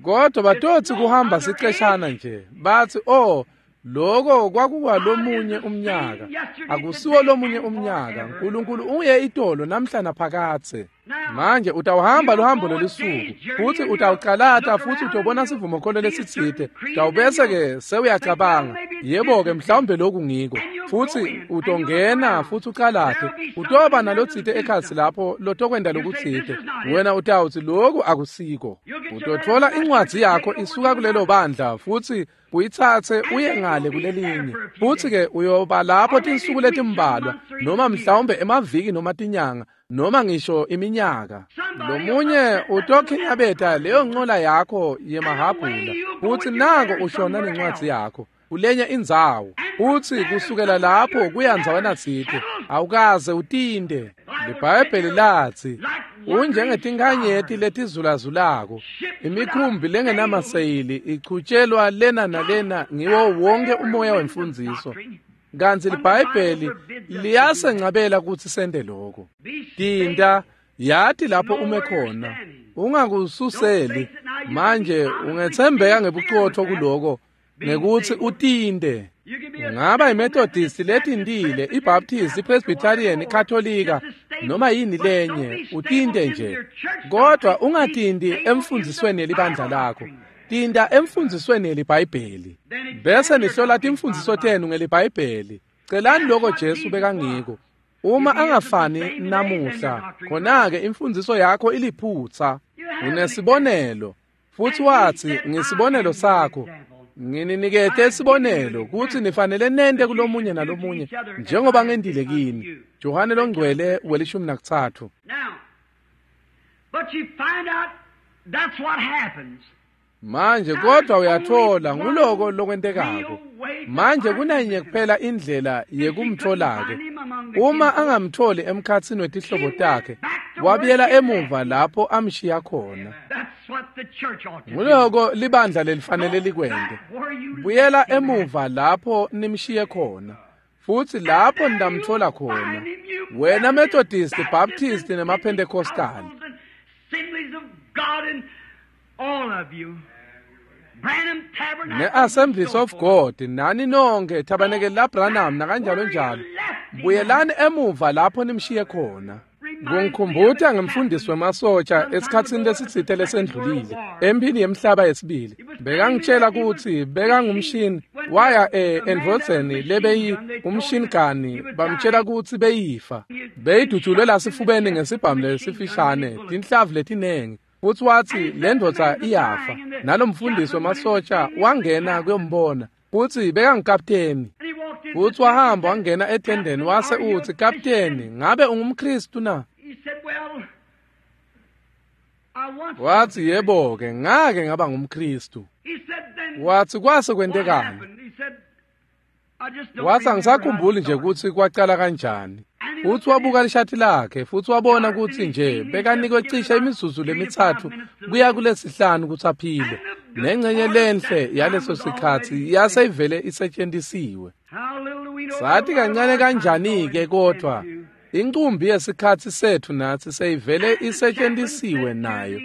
Kodwa batothi kuhamba siceshana nje bathi oh lokho kwakukwalomunye umnyaka. Akusiwo lomunye umnyaka. uNkulunkulu uye itolo namhla naphakathe. Manje utawuhamba luhambo lolusuku futhi utawucalata futhi utobona sivumokholo lesitsite. Utawubese ke sewuyacabanga yebo ke mhlawumbe lokhu ngiko, futhi utongena futhi ucalate utoba nalotsite ekhatsi lapho lotokwenda lokutsite. Wena utawuthi lokhu akusiko. Utothola incwadzi yakho isuka kulelo bandla futhi uyithathe uye ngale kulelinye, futhi ke uyoba lapho tinsuku letimbalwa noma mhlawumbe emaviki noma tinyanga noma ngisho iminyaka. Lomunye utokhinyabeta leyo ncola yakho yemahabhula futhi nako ushona nencwadzi yakho kulenye indzawo, futhi kusukela lapho kuya ndzawana tsite awukaze utinde. LiBhayibheli lathi unjengetinkhanyeti letizulazulako, imikhumbi lengenamaseyili ichutshelwa lena nalena ngiwo wonke umoya wemfundziso. Kanti liBhayibheli liyasencabela ukuthi sente lokho. Tinta yati lapho ume khona, ungakususeli. Manje ungethembeka ngebuqotho kuloko ngekuthi utinte. Ungaba iMethodist letintile, iBaptist, iPresbyterian, iKatolika noma yini lenye, utinte nje. Kodwa ungatindi emfundzisweni yelibandla lakho. Tinta emfundzisweni yeliBhayibheli. Bese nihlola timfundziso tenu ngeliBhayibheli. Celani lokho Jesu bekangiko. Uma angafani namuhla, khona-ke imfundziso yakho iliphutsa. Unesibonelo futhi wathi ngisibonelo sakho. Ngininikete isibonelo ukuthi nifanele nente kulomunye nalomunye njengoba ngendile kini. Johane longcwele we-13. Manje kodwa uyathola nguloko lokwentekako. Manje kunanye kuphela indlela yekumthola-ke. Uma angamtholi emkhatsini wetihlobo takhe, wabuyela emuva lapho amshiya khona. Nguloko libandla lelifanele likwente. Buyela emuva lapho nimshiye khona, futhi lapho nidamthola khona. Wena Methodist, Baptist nemaPentecostal, ne-Assemblies of God, nani nonke Tabernacle la Branham nakanjalo njalo, buyelani emuva lapho nimshiye khona. Kungikhumbuta ngemfundisi wemasotsha esikhatsini lesitsite lesendlulile empini yemhlaba yesibili. Bekangitshela ukuthi bekangumshini waya endvodzeni lebeyi umshinigani, bamtshela ukuthi beyifa beyidutshulwe lasifubeni ngesibhamu lesifishane tinhlavu letinengi, futhi wathi le ndvodza iyafa. Nalomfundisi wemasotsha wangena kuyombona futhi bekangukapteni, futhi wahamba wangena etendeni wase uthi, "Kapteni, ngabe ungumKristu na?" Wathi, "Yebo-ke, ngake ngaba ngumKristu." Wathi, "Kwase kwentekani?" Wathi, "Angisakhumbuli nje ukuthi kwacala kanjani." Futhi wabuka lishati lakhe futhi wabona ukuthi nje bekanikwe cishe imizuzu lemithathu kuya kulesihlanu ukuthi aphile. Nengcenye lenhle yaleso sikhathi yaseyivele isetshenzisiwe. Sathi kancane kanjani-ke, kodwa incumbi yesikhathi sethu nathi seyivele isetshenzisiwe nayo.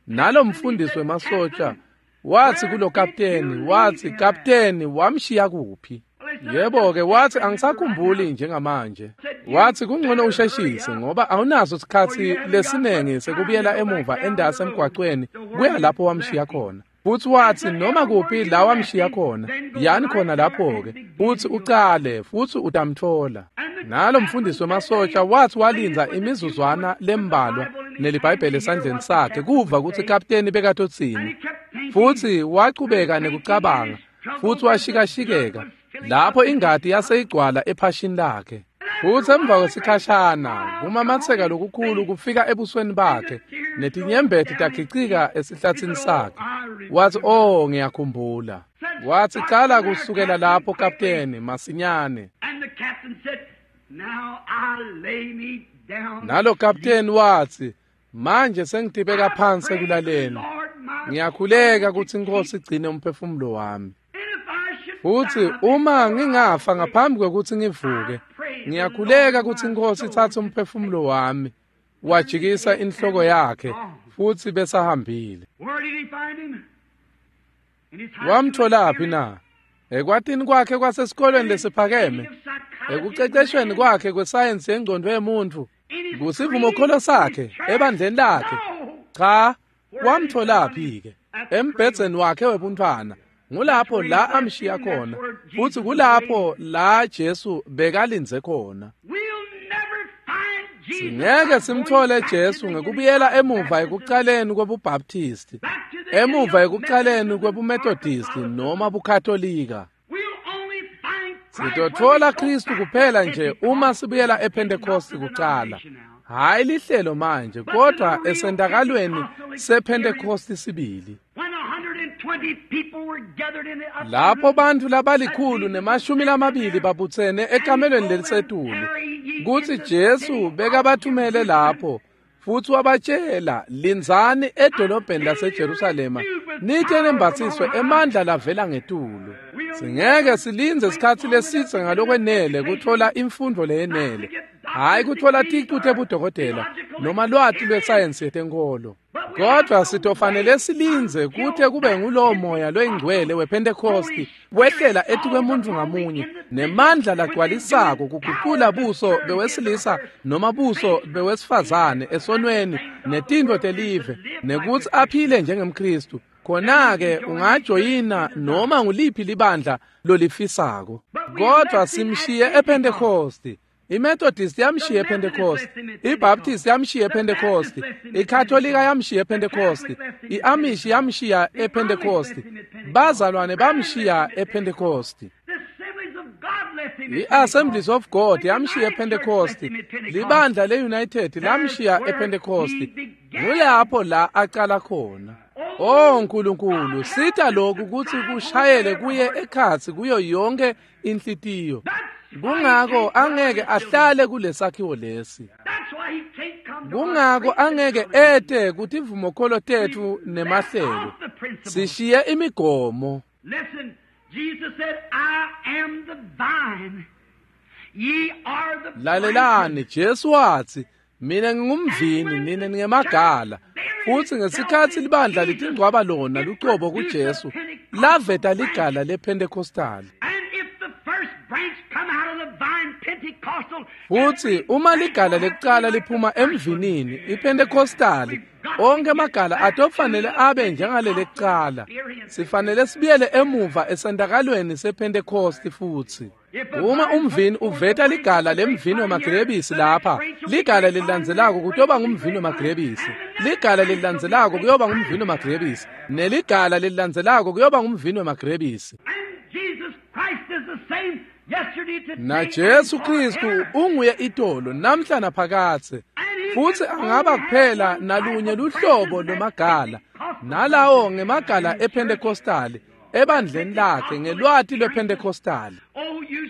Nalo mfundisi wemasotsha wathi kulo kapteni, wathi, "Kapteni, wamshiya kuphi?" Yebo-ke, wathi, "Angisakhumbuli njengamanje." Wathi, "Kungcono usheshise ngoba awunaso isikhathi lesinengi sekubuyela emuva endase emgwaqweni kuya lapho wamshiya khona." Futhi wathi, "Noma kuphi la wamshiya khona, yani khona lapho-ke, futhi ucale futhi utamthola." Nalo mfundisi wemasotsha wathi walindza imizuzwana lembalwa neliBhayibheli esandleni sakhe kuva ukuthi kapteni bekatotsini. Futhi wachubeka nekucabanga futhi washikashikeka lapho ingadi yaseyigcwala ephashini lakhe. Futhi emva kwesikhashana kumamatheka lokukhulu kufika ebusweni bakhe netinyembeti takhicika esihlathini sakhe. Wathi, "Oh, ngiyakhumbula." Watsi, cala kusukela lapho kapteni, masinyane. Nalo kapteni watsi, manje sengitibeka phansi ekulaleni. Ngiyakhuleka kutsi iNkhosi igcine umphefumulo wami. Futsi uma ngingafa ngaphambi kwekutsi ngivuke, ngiyakhuleka kutsi iNkhosi itsatse umphefumulo wami. Wajikisa inhloko yakhe futsi besahambile. Wamtholaphi na? Ekwatini kwakhe kwasesikolweni lesiphakeme, ekuceceshweni kwakhe kwesayensi yengcondvo yemuntfu, kusivumokholo sakhe, ebandleni lakhe. Cha, wamtholaphi-ke? Embhedzeni wakhe webuntfwana. Ngulapho la amshiya khona, futsi kulapho la Jesu bekalindze khona. Singeke simthole Jesu ngekubuyela emuva ekucaleni kwebuBaptisti, emuva ekucaleni kwebuMethodisti noma buKatolika. Sitotfola Kristu kuphela nje uma sibuyela ePhentekosti kucala. Hhayi lihlelo manje, kodwa esentakalweni sePhentekosti sibili. Lapho bantfu 120 babutsene ekamelweni lelisetulu, kutsi Jesu bekabathumele lapho futsi wabatshela, lindzani edolobheni laseJerusalema nite nembatsiswe emandla lavela ngetulu. Singeke silindze isikhatsi lesidze ngalokwenele kutfola imfundvo leyenele, hhayi kutfola ticu tebudokotela noma lwati lwesayensi yetenkholo. Kodwa sitofanele silindze kute kube ngulowo moya loyingcwele wePhentekosti wehlela etikwemuntfu ngamunye nemandla lagcwalisako kugucula buso bewesilisa noma buso bewesifazane esonweni netintfo telive, nekutsi aphile njengemKhristu. Khona-ke ungajoyina noma nguliphi libandla lolifisako. Kodwa simshiye ePhentekosti. IMethodist yamshiya ePhentekosti, iBaptist yamshiya ePhentekosti, iKatolika yamshiya ePhentekosti, iAmish yamshiya ePhentekosti, bazalwane bamshiya ePhentekosti. I-Assemblies of God yamshiya ePhentekosti, libandla le-United lamshiya ePhentekosti. Ngulapho la acala khona. Oh Nkulunkulu, sita lokhu kutsi kushayele kuye ekhatsi kuyo yonke inhlitiyo. Kungako angeke ahlale kulesakhiwo lesi. Kungako angeke ete kutivumokholo tetfu nemahlelo. Sishiye imigomo. Lalelani, Jesu watsi, mina ngingumvini, nine ningemagala. Futsi ngesikhatsi libandla litingcwaba lona lucobo kuJesu, laveta ligala lePhentekostali. Futsi uma ligala lekucala liphuma emvinini iPhentekostali, onke amagala atofanele abe njengaleli kucala. Sifanele sibuyele emuva esentakalweni sePhentekosti futsi. Uma umvini uveta ligala lemvini wemagrebisi lapha, ligala lelilandzelako kutoba ngumvini wemagrebisi, ligala lelilandzelako kuyoba ngumvini wemagrebisi, neligala lelilandzelako kuyoba ngumvini wemagrebisi. Na Jesu Kristu unguye itolo namhla naphakadze, futsi angaba kuphela nalunye luhlobo lwemagala, nalawo ngemagala ePhentekostali ebandleni lakhe ngelwati lwePhentekostali.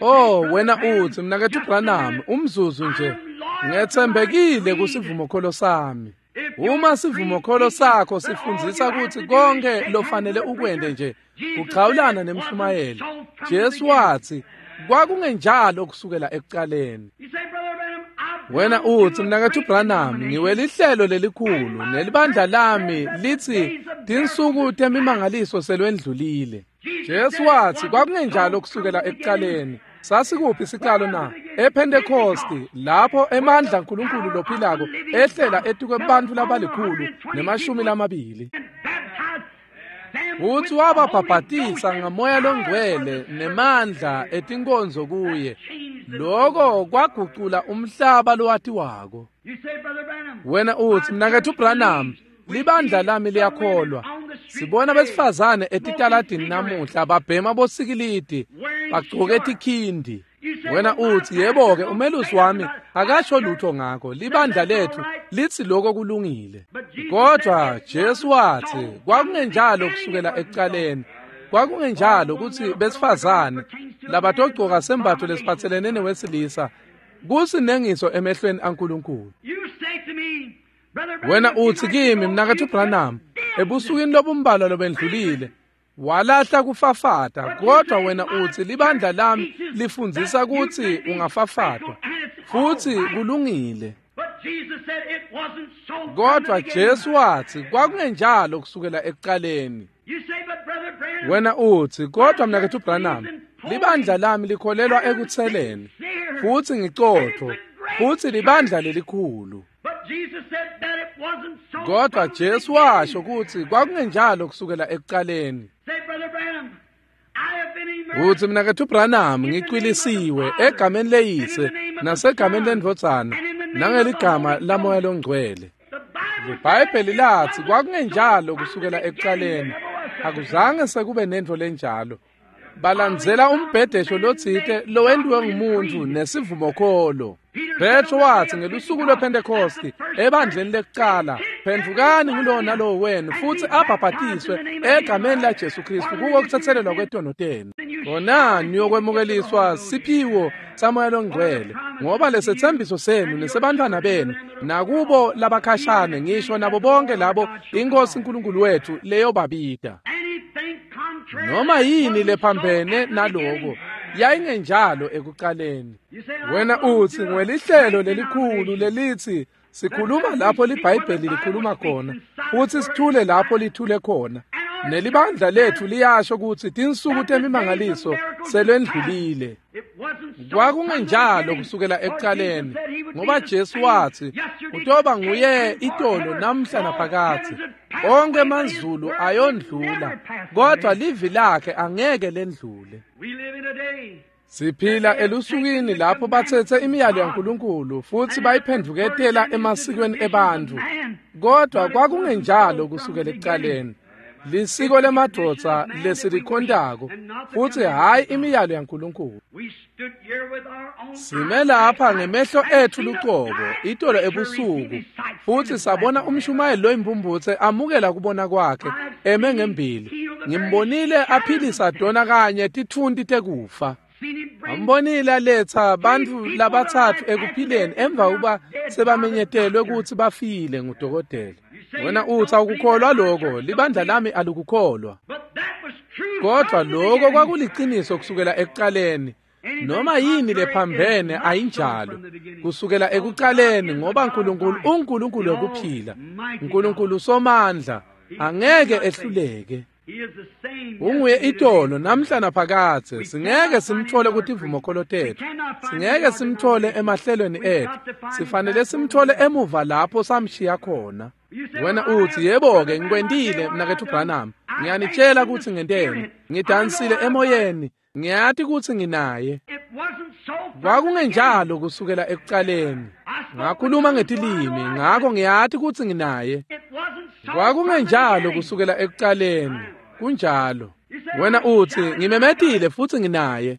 Oh wena utsi, mnaketfu Branham, umzuzu nje, ngetsembekile kusivumokholo sami. Uma sivumokholo sakho sifundzisa kutsi konke lofanele ukwente nje kuchawulana nemshumayeli, Jesu watsi kwakungenjalo kusukela ekucaleni. Wena utsi, mnaketfu Branham, ngiwelihlelo lelikhulu nelibandla lami litsi tinsuku temimangaliso selwendlulile. Jesu watsi kwakungenjalo kusukela ekucaleni. Sasikuphi sicalo na? EPhentekosti, lapho emandla aNkulunkulu lophilako ehlela etikwe bantfu 120. Futsi wababhabhatisa ngamoya longcwele nemandla etinkonzo kuye. Loko kwagucula umhlaba lowatiwako. Wena utsi, mnaketfu Branham, libandla lami liyakholwa. Sibona besifazane etitaladini namuhla babhema bosikilidi, bagcoke tikhindi. Wena utsi, yebo-ke, umelusi wami akasho lutho ngakho, libandla lethu litsi lokho kulungile. Kodwa Jesu watsi kwakungenjalo kusukela ekucaleni. Kwakungenjalo kutsi besifazane labatogcoka sembatfo lesiphatselene newesilisa kusinengiso emehlweni aNkulunkulu. Wena utsi kimi, mnaketfu Branham, ebusukwini lobumbalwa lobendlulile walahla kufafata, kodwa wena utsi libandla lami lifundzisa kutsi ungafafatwa, futsi kulungile. Kodwa Jesu watsi kwakungenjalo kusukela ekucaleni. Wena utsi, kodwa mnaketfu Branham, libandla lami likholelwa ekutseleni, futsi ngicotfo, futsi libandla lelikhulu. Kodwa Jesu washo kutsi kwakungenjalo kusukela ekucaleni. Utsi mnaketfu Branham, ngicwilisiwe egameni leyise nasegameni lendvodzana nangeligama laMoya loNgcwele. IBhayibheli latsi kwakungenjalo kusukela ekucaleni. Akuzange sekube nentfo lenjalo. Balandzela umbhedesho lotsite lowentiwe ngumuntu nesivumokholo. Petro watsi ngelusuku lwePhentekhosti ebandleni lekucala, phendvukani ngulowo nalowo wenu futsi abhabhatiswe egameni laJesu Kristu kuko kutsetselelwa kwetono tenu. Khona niyokwemukeliswa siphiwo saMoya loNgcwele, ngoba lesetsembiso senu nesebantfwana benu nakubo labakhashane, ngisho nabo bonke labo iNkosi uNkulunkulu wethu leyobabita. Noma yini lephambene naloko yayingenjalo ekucaleni. Wena utsi ngwelihlelo lelikhulu lelithi sikhuluma lapho liBhayibheli likhuluma khona, futsi sithule lapho lithule khona. Nelibandla letfu liyasho kutsi tinsuku temimangaliso selwendlulile. Kwakungenjalo kusukela ekucaleni, ngoba Jesu watsi utoba nguye itolo namhla naphakadze. Onke emazulu ayondlula, kodwa livi lakhe angeke lendlule. Siphila elusukwini lapho batsetse imiyalo yaNkulunkulu futsi bayiphendvuketela emasikweni ebantfu, kodwa kwakungenjalo kusukela ekucaleni. Lisiko lemadvodza lesilikhontako, futsi hhayi imiyalo yaNkulunkulu. Sime lapha ngemehlo etfu lucobo itolo ebusuku, futsi sabona umshumayeli loyimpumputse amukela kubona kwakhe eme ngembili. Ngimbonile aphilisa dona kanye titfunti tekufa. Ambonile aletsa bantfu labatsatfu ekuphileni emva kuba sebamenyetelwe kutsi bafile ngudokotela. Wena utsi awukukholwa lokho, libandla lami alikukholwa. Kodwa lokho kwakuliciniso kusukela ekucaleni. Noma yini lephambene ayinjalo kusukela ekucaleni, ngoba uNkulunkulu uNkulunkulu wekuphila, uNkulunkulu somandla, angeke ehluleke. Unguye itolo namhla naphakadze. Singeke simthole kutivumokholo tetfu, singeke simthole emahlelweni etfu, sifanele simthole emuva lapho samshiya khona. Wena utsi, yebo-ke ngikwentile mnaketfu Branham, ngiyanitshela kutsi ngenteni, ngidansile emoyeni, ngiyati kutsi nginaye. Kwakungenjalo kusukela ekucaleni. Ngakhuluma ngetilimi, ngakho ngiyati kutsi nginaye. Kwakungenjalo kusukela ekucaleni. Kunjalo. Wena utsi ngimemetile futsi nginaye.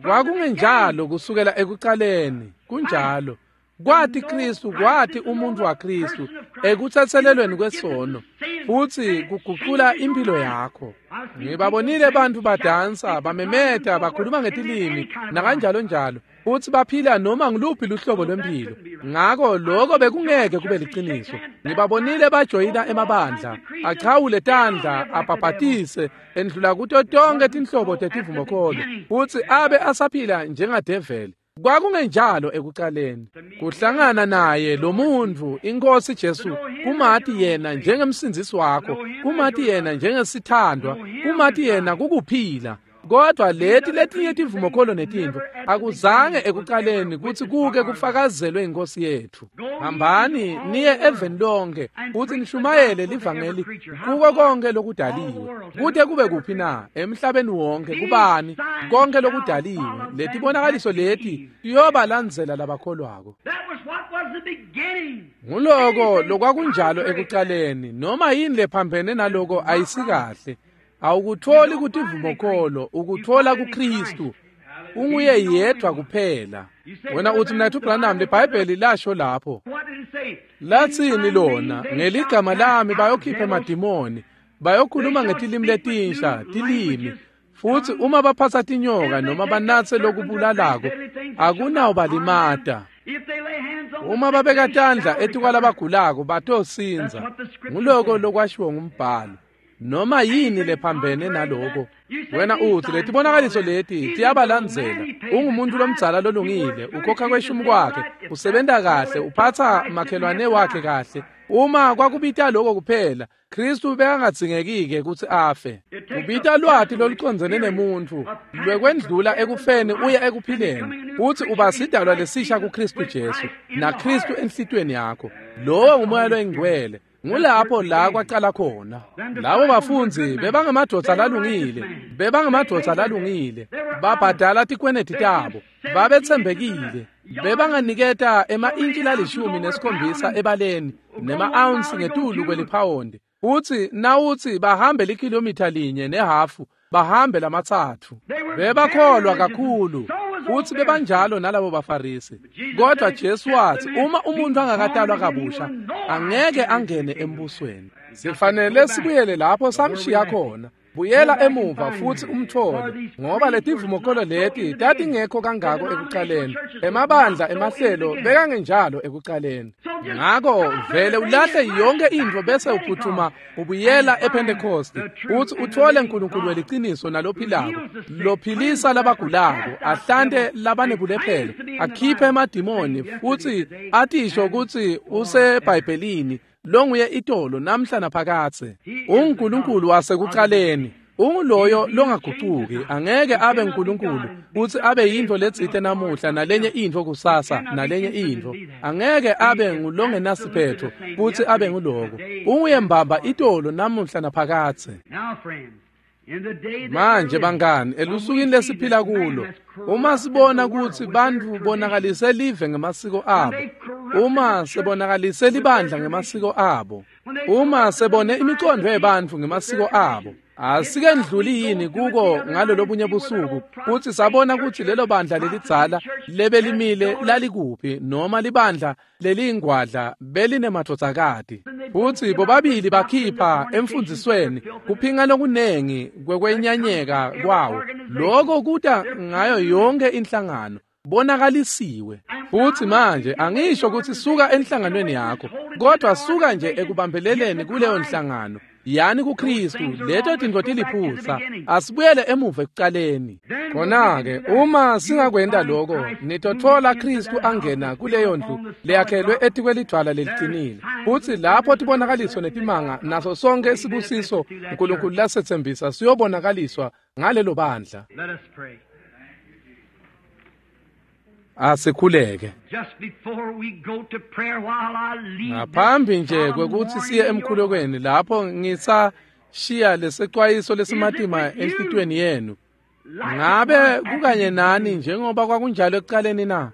Kwakungenjalo kusukela ekucaleni. Kunjalo. Kwati Kristu, kwati umuntu waKristu ekutsetselelweni kwesono, futsi kuguqula impilo yakho. Ngibabonile bantfu badansa, bamemeta, bakhuluma ngetilimi nakanjalo njalo, futsi baphila noma ngiluphi luhlobo lwempilo. Ngako lokho bekungeke kube liciniso. Ngibabonile bajoyina emabandla, achawule tandla, abhabhatise, endlula kuto tonke tinhlobo tetivumokholo, futsi abe asaphila njengadeveli. Kwakungenjalo ekucaleni. Kuhlangana naye lo muntfu iNkosi Jesu, kumati yena njengemsindzisi wakho, kumati yena njengesithandwa, kumati yena kukuphila. Kodwa leti letinye tivumokholo netintfo akuzange ekucaleni kutsi kuke kufakazelwe inkosi yetfu. Hambani niye eveni lonke futsi nishumayele livangeli kuko konke lokudaliwe. Kute kube kuphi na? Emhlabeni wonke. Kubani? Konke lokudaliwe. Letibonakaliso leti tiyobalandzela labakholwako. Nguloko lokwakunjalo ekucaleni. Noma yini lephambene naloko ayisikahle. Awukutholi kutivumokholo, ukuthola kuKristu. Unguye yedwa kuphela. Wena uthi mnaketfu Branham, liBhayibheli lasho lapho. Latsini lona? Ngeligama lami bayokhipha emadimoni, Bayokhuluma ngetilimi letinsha, tilimi. Futhi uma baphatha tinyoka noma banatse lokubulalako, akunawubalimata. Uma babeka tandla etikwalabagulako batosindza. Nguloko lokwashiwo ngumbhalo. Noma yini lephambene naloko. Wena uthi letibonakaliso leti tiyabalandzela. Ungumuntu lomdzala lolungile, ukhokha kweshumi kwakhe, usebenta kahle, uphatha makhelwane wakhe kahle. Uma kwakubita lokho kuphela, Kristu bekangadzingeki-ke kutsi afe. Ubita lwati lolucondzene nemuntfu lwekwendlula ekufeni uye ekuphileni, futsi uba sidalwa lesisha kuKristu Jesu, naKristu enhlitiyweni yakho. Lowo nguMoya loyiNgcwele. Ngulapho la kwaqala khona. Labo bafundzi bebangemadvodza lalungile, bebangemadvodza lalungile, babhadala tikweneti tabo, babetsembekile, bebanganiketa ema-intshi 17 ebaleni nema-ounce ngetulu kweliphawondi. Futsi nawutsi bahambe likhilomitha 1.5, bahambe 3. Bebakholwa kakhulu, futsi bebanjalo nalabo baFarisi. Kodwa Jesu watsi uma umuntu angakatalwa kabusha, angeke angene embusweni. Sifanele sibuyele lapho samshiya khona. Buyela emuva futhi umthole, ngoba letivumokolo leti tatingekho kangako ekuqaleni. Emabandla emahlelo bekangenjalo ekuqaleni. Ngako vele ulahle yonke intfo bese uphuthuma ubuyela ePentecost, uthi uthole uNkulunkulu weliciniso nalophilako, lophilisa labagulako, ahlante labanebulephelo, akhiphe emadimoni, futhi atisho ukuthi useBhayibhelini longuye itolo namhla naphakathe. UNkulunkulu wasekuqaleni, unguloyo longagucuki, angeke abe uNkulunkulu uthi abe yintfo letsite namuhla nalenye intfo kusasa nalenye intfo. Angeke abe ngulongenasiphetho futhi abe nguloko. Unguye mbamba itolo namuhla naphakathe. Manje bangani, elusukwini lesiphila kulo, uma sibona kutsi bantfu bonakalise live ngemasiko abo, uma sebonakalise libandla ngemasiko abo, uma sebone imicondo yebantfu ngemasiko abo, asikendluli yini kuko ngalolobunye busuku kutsi sabona kutsi lelo bandla lelidzala lebelimile lalikuphi, noma libandla leliyingwadla belinemadvodzakati. Futsi bobabili bakhipha emfundzisweni kuphinga lokunengi kwekwenyanyeka kwawo. Loko kuta ngayo yonke inhlangano bonakalisiwe. Futsi manje angisho kutsi suka enhlanganweni yakho, kodwa suka nje ekubambeleleni kuleyo nhlangano. Yani kuKristu, leto tintfo tiliphutsa. Asibuyele emuva ekucaleni. Khona-ke uma singakwenta loko, nitotfola Kristu angena kuleyo ndlu leyakhelwe etikwelidvwala leliqinile. Futsi lapho tibonakaliso netimanga naso sonke isibusiso uNkulunkulu lasetsembisa siyobonakaliswa ngalelo bandla. Asikhuleke. Ngaphambi nje kwekutsi siye emkhulekweni, lapho ngisashiya lesexwayiso lesimatima enhlitiyweni yenu, ngabe kukanye nani njengoba kwakunjalo ekuqaleni na?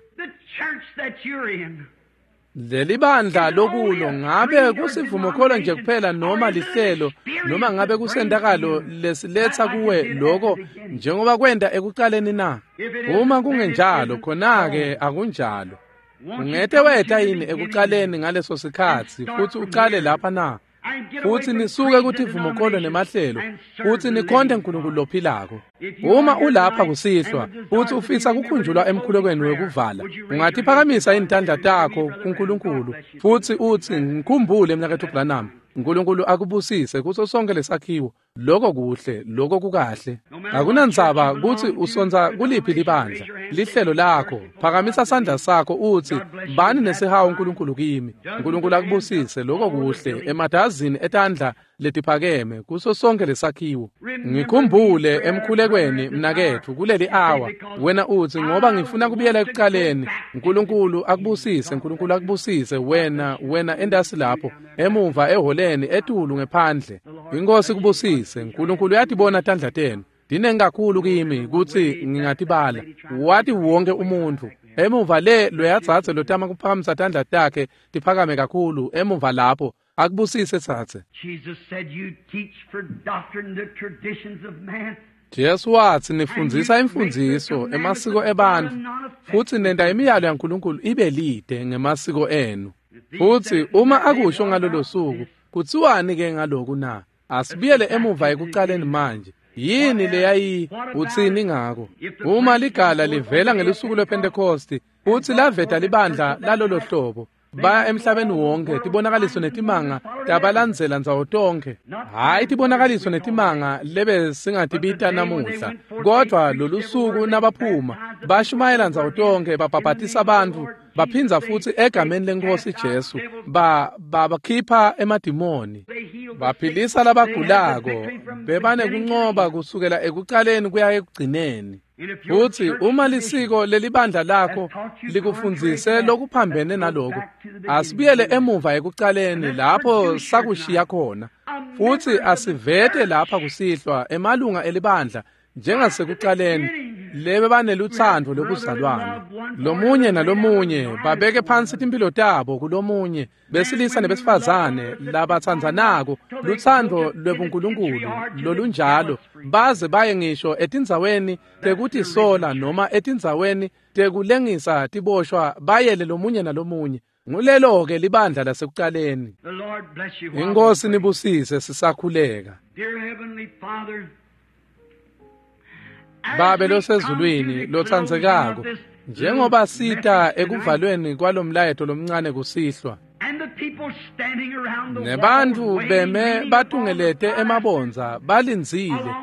Leli bandla lokulo ngabe kusivumokholo nje kuphela noma lihlelo, noma ngabe kusentakalo lesiletsa kuwe loko njengoba kwenta ekuqaleni na? Uma kungenjalo, khona-ke akunjalo. Ungete weta yini ekuqaleni ngaleso sikhatsi futhi uqale lapha na? Futhi nisuke kutivumokholo nemahlelo, futhi nikhonte uNkulunkulu lophilako. Uma ulapha kusihlwa futhi ufisa kukhunjulwa emkhulekweni wekuvala, ungatiphakamisa intandla takho kuNkulunkulu futhi uthi, ngikhumbule mnaketfu Branham. uNkulunkulu akubusise kuso sonke lesakhiwo. Lokho kuhle, lokho kukahle. Akunandzaba kutsi usonza kuliphi libandla, lihlelo lakho, phakamisa sandla sakho uthi, bani nesihawu uNkulunkulu kimi. uNkulunkulu akubusise, lokho kuhle, emadazini etandla letiphakeme kuso sonke lesakhiwo. Ngikhumbule emkhulekweni mnaketfu kuleli hour. Wena uthi, ngoba ngifuna kubuyela ekuqaleni. uNkulunkulu akubusise, uNkulunkulu akubusise wena, wena endasi lapho, emuva eholeni, etulu ngephandle. Inkosi kubusise. uNkulunkulu uyatibona tandla tenu. Dinengi kakhulu kimi kutsi ngingatibala. Wati wonke umuntu. Emuva le loyadzadze lotama kuphakamisa tandla takhe tiphakame kakhulu emuva lapho. Akubusise tsatse. Jesu watsi nifundzisa imfundziso emasiko ebantfu, futhi nenta imiyalo yaNkulunkulu ibe lide ngemasiko enu. Futhi uma akusho ngalolo suku, kutsiwani ke ngaloku na? Asibuyele emuva ekucaleni manje. Yini leyayi utsini ngako? Uma ligala livela ngelusuku lwePhentekosti futsi laveta libandla lalolo hlobo, baya emhlabeni wonke, tibonakaliso netimanga tabalandzela ndzawo tonkhe. Hhayi tibonakaliso netimanga lebe singatibita namuhla, kodvwa lolusuku nabaphuma bashumayela ndzawo tonkhe, babhabhatisa bantfu, baphindza futsi egameni leNkhosi Jesu babakhipha emadimoni, baphilisa labagulako, bebanekuncoba kusukela ekucaleni kuya ekugcineni. Futsi uma lisiko lelibandla lakho likufundzise lokuphambene naloko, asibuyele emuva ekucaleni lapho sakushiya khona, futsi asivete lapha kusihlwa emalunga elibandla njengasekucaleni lebe banelutsandvo lokuzalwana lomunye nalomunye, babeke phansi timphilo tabo kulomunye, besilisa nebesifazane labatsandzanako, lutsandvo lwebuNkulunkulu lolunjalo, baze baye ngisho etindzaweni tekutisola noma etindzaweni tekulengisa tiboshwa, bayele lomunye nalomunye. Ngulelo-ke libandla lasekucaleni. Inkosi nibusise sisakhuleka. Babe losezulwini lotsandzekako, njengoba sita ekuvalweni kwalomlayeto lomncane kusihlwa, nebantfu beme batungelete emabondza balindzile,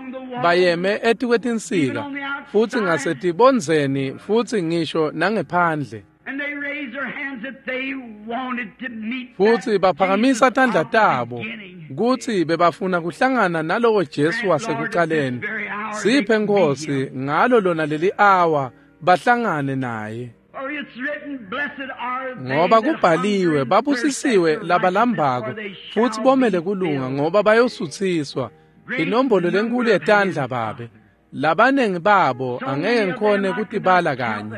bayeme etikwetinsika futsi ngasetibondzeni futsi ngisho nangephandle, futsi baphakamisa tandla tabo kutsi bebafuna kuhlangana nalowo Jesu wasekucaleni. Siphe Nkosi ngalo lona leli awa bahlangane naye, ngoba kubhaliwe, babusisiwe labalambako futsi bomele kulunga, ngoba bayosutsiswa. Inombolo lenkulu yetandla Babe, labanengi babo angeke ngikhone kutibala kanye,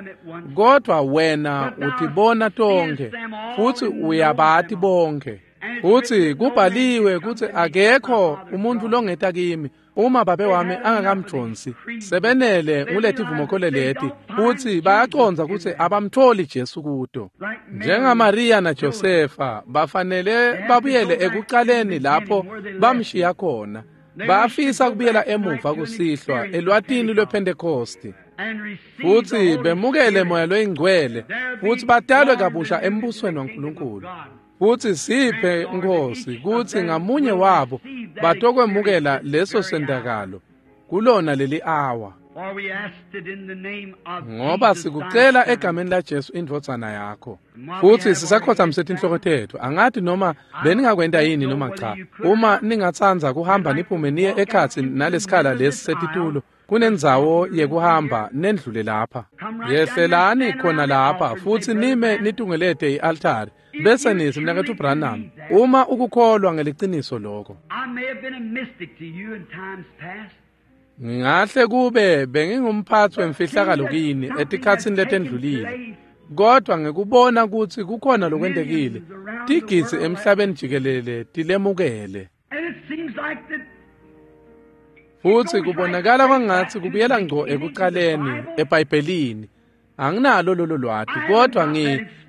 kodvwa wena utibona tonkhe futsi uyabati bonke. Futsi kubhaliwe kutsi akekho umuntfu longeta kimi uma babe wami angakamdvonsi. Sebenele nguletivumokholo leti, futsi bayacondza kutsi abamtholi Jesu kuto. NjengaMariya naJosefa bafanele babuyele ekucaleni lapho bamshiya khona. Bafisa kubuyela emuva kusihlwa elwatini lwePhentekosti, futsi bemukele Moya loyiNgcwele, futsi batalwe kabusha embusweni waNkulunkulu. Futsi siphe Nkosi kutsi ngamunye wabo batokwemukela leso sentakalo kulona leli awa, ngoba sikucela egameni laJesu indvodzana yakho. Futsi sisakhotsamise tinhloko tetfu. Angati noma beningakwenta yini noma cha. Uma ningatsandza kuhamba niphume niye ekhatsi nalesikhala lesi setitulo, kunendzawo yekuhamba nendlule lapha. Yehlelani khona lapha futsi nime nitungelete i-altari, bese nitsi, Mnaketfu Branham, uma ukukholwa ngeliciniso lokho. Ngingahle kube bengingumphatsi wemfihlakalo kini etikhatsini letendlulile, kodwa ngekubona kutsi kukhona lokwentekile, tigidzi emhlabeni jikelele tilemukele. Futsi kubonakala kwangatsi kubuyela ngco ekucaleni eBhayibhelini. Anginalo lolo lwati, kodwa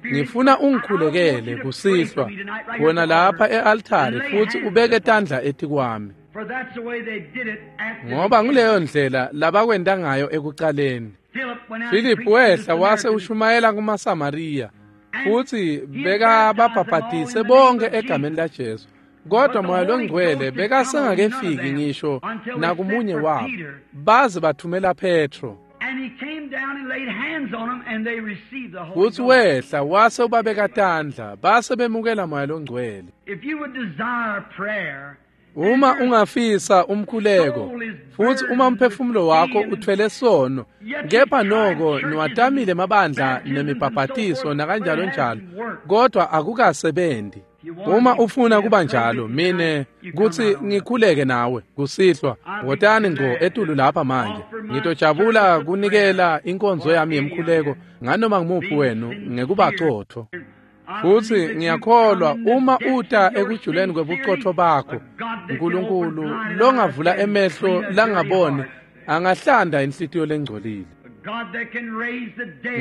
ngifuna ungikhulekele kusihlwa khona lapha e-altari, futsi ubeke tandla etikwami, ngoba nguleyo ndlela labakwenta ngayo ekucaleni. Philip wehla wase ushumayela kumaSamariya, futsi bekababhabhatise bonke egameni laJesu, kodwa Moya loNgcwele bekasengakefiki ngisho nakumunye wabo, baze bathumela Petro. Futsi wehla wase ubabeka tandla, base bemukela Moya loNgcwele. Uma ungafisa umkhuleko, futsi uma umphefumulo wakho uthwele sono, kepha noko niwatamile mabandla nemibhabhatiso nakanjalo njalo, kodwa akukasebenzi. Uma ufuna kuba njalo, mine kutsi ngikhuleke nawe kusihlwa, wotani ngco etulu lapha manje. Ngitojabula kunikela inkonzo yami yemkhuleko nganoma ngumuphi wenu ngekuba cotfo. Futsi ngiyakholwa uma uta ekujuleni kwebucotfo bakho, Nkulunkulu longavula emehlo langaboni angahlanda inhlitiyo lengcolile.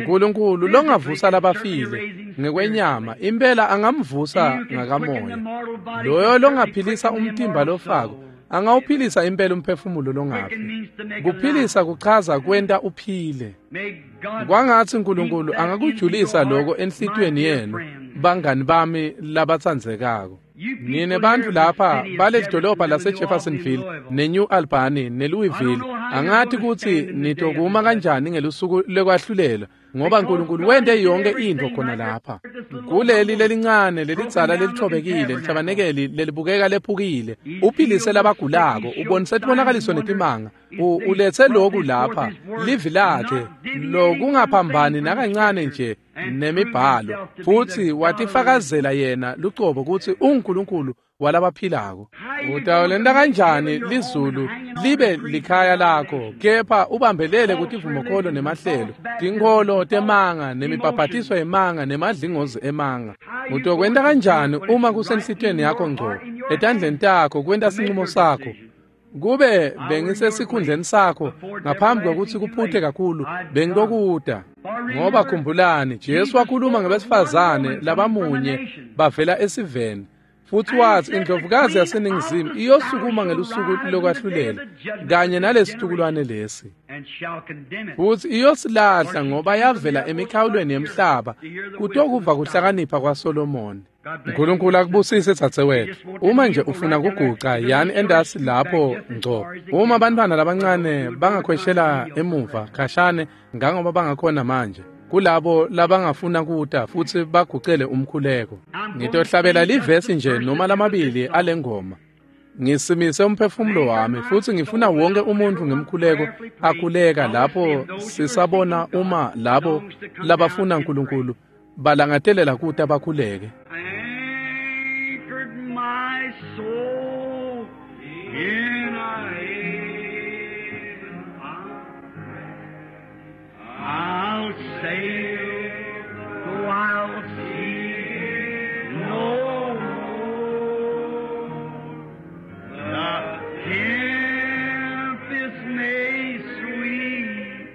Nkulunkulu longavusa labafile ngekwenyama, impela angamvusa ngakamoya. Loyo longaphilisa umtimba lofako Angawuphilisa impela umphefumulo longafi. Kuphilisa kuchaza kwenta uphile. Kwangatsi uNkulunkulu angakujulisa lokho enhlitiyweni yenu, bangani bami labatsandzekako. Nine bantfu lapha balelidolobha laseJeffersonville neNew Albany neLouisville, angati kutsi nitokuma kanjani ngelusuku lekwahlulela, ngoba uNkulunkulu wente yonke intfo khona lapha. Kuleli lelincane lelidzala lelithobekile lithabanekeli lelibukeka lephukile, uphilise labagulako, ubonise tibonakaliso netimanga, uletse loku lapha, livi lakhe lokungaphambani nakancane nje nemibhalo, futsi watifakazela yena lucobo kutsi unguNkulunkulu walabaphilako. Utawulenta kanjani lizulu libe likhaya lakho, kepha ubambelele kutivumokholo nemahlelo, tinkholo temanga nemibhabhatiso yemanga nemadlingozi emanga? Utokwenta kanjani uma kusenhlitiyweni yakho ngco, etandleni takho kwenta sinqumo sakho? Kube bengisesikhundleni sakho ngaphambi kwekutsi kuphute kakhulu, bengitokuta. Ngoba khumbulani, Jesu wakhuluma ngebesifazane labamunye bavela esiveni, futsi watsi indlovukazi yaseningizimu iyosukuma ngelusuku lokwahlulela kanye nalesitukulwane lesi, futsi iyosilahla ngoba yavela emikhawulweni yemhlaba kutokuva kuhlakanipha kwaSolomoni. uNkulunkulu akubusise dzadzewethu. Uma nje ufuna kuguca, yani endasi lapho ngco. Uma bantwana labancane bangakhweshela emuva khashane ngangoba bangakhona manje, kulabo labangafuna kuta futsi bagucele umkhuleko. Ngitohlabela livesi nje noma lamabili alengoma. Ngisimise umphefumulo wami futsi ngifuna wonke umuntu ngemkhuleko akhuleka lapho sisabona uma labo labafuna uNkulunkulu balangatelela kuta bakhuleke. Anchored my soul in a haven of rest. I'll sail though I'll see no more. The tempest may sweep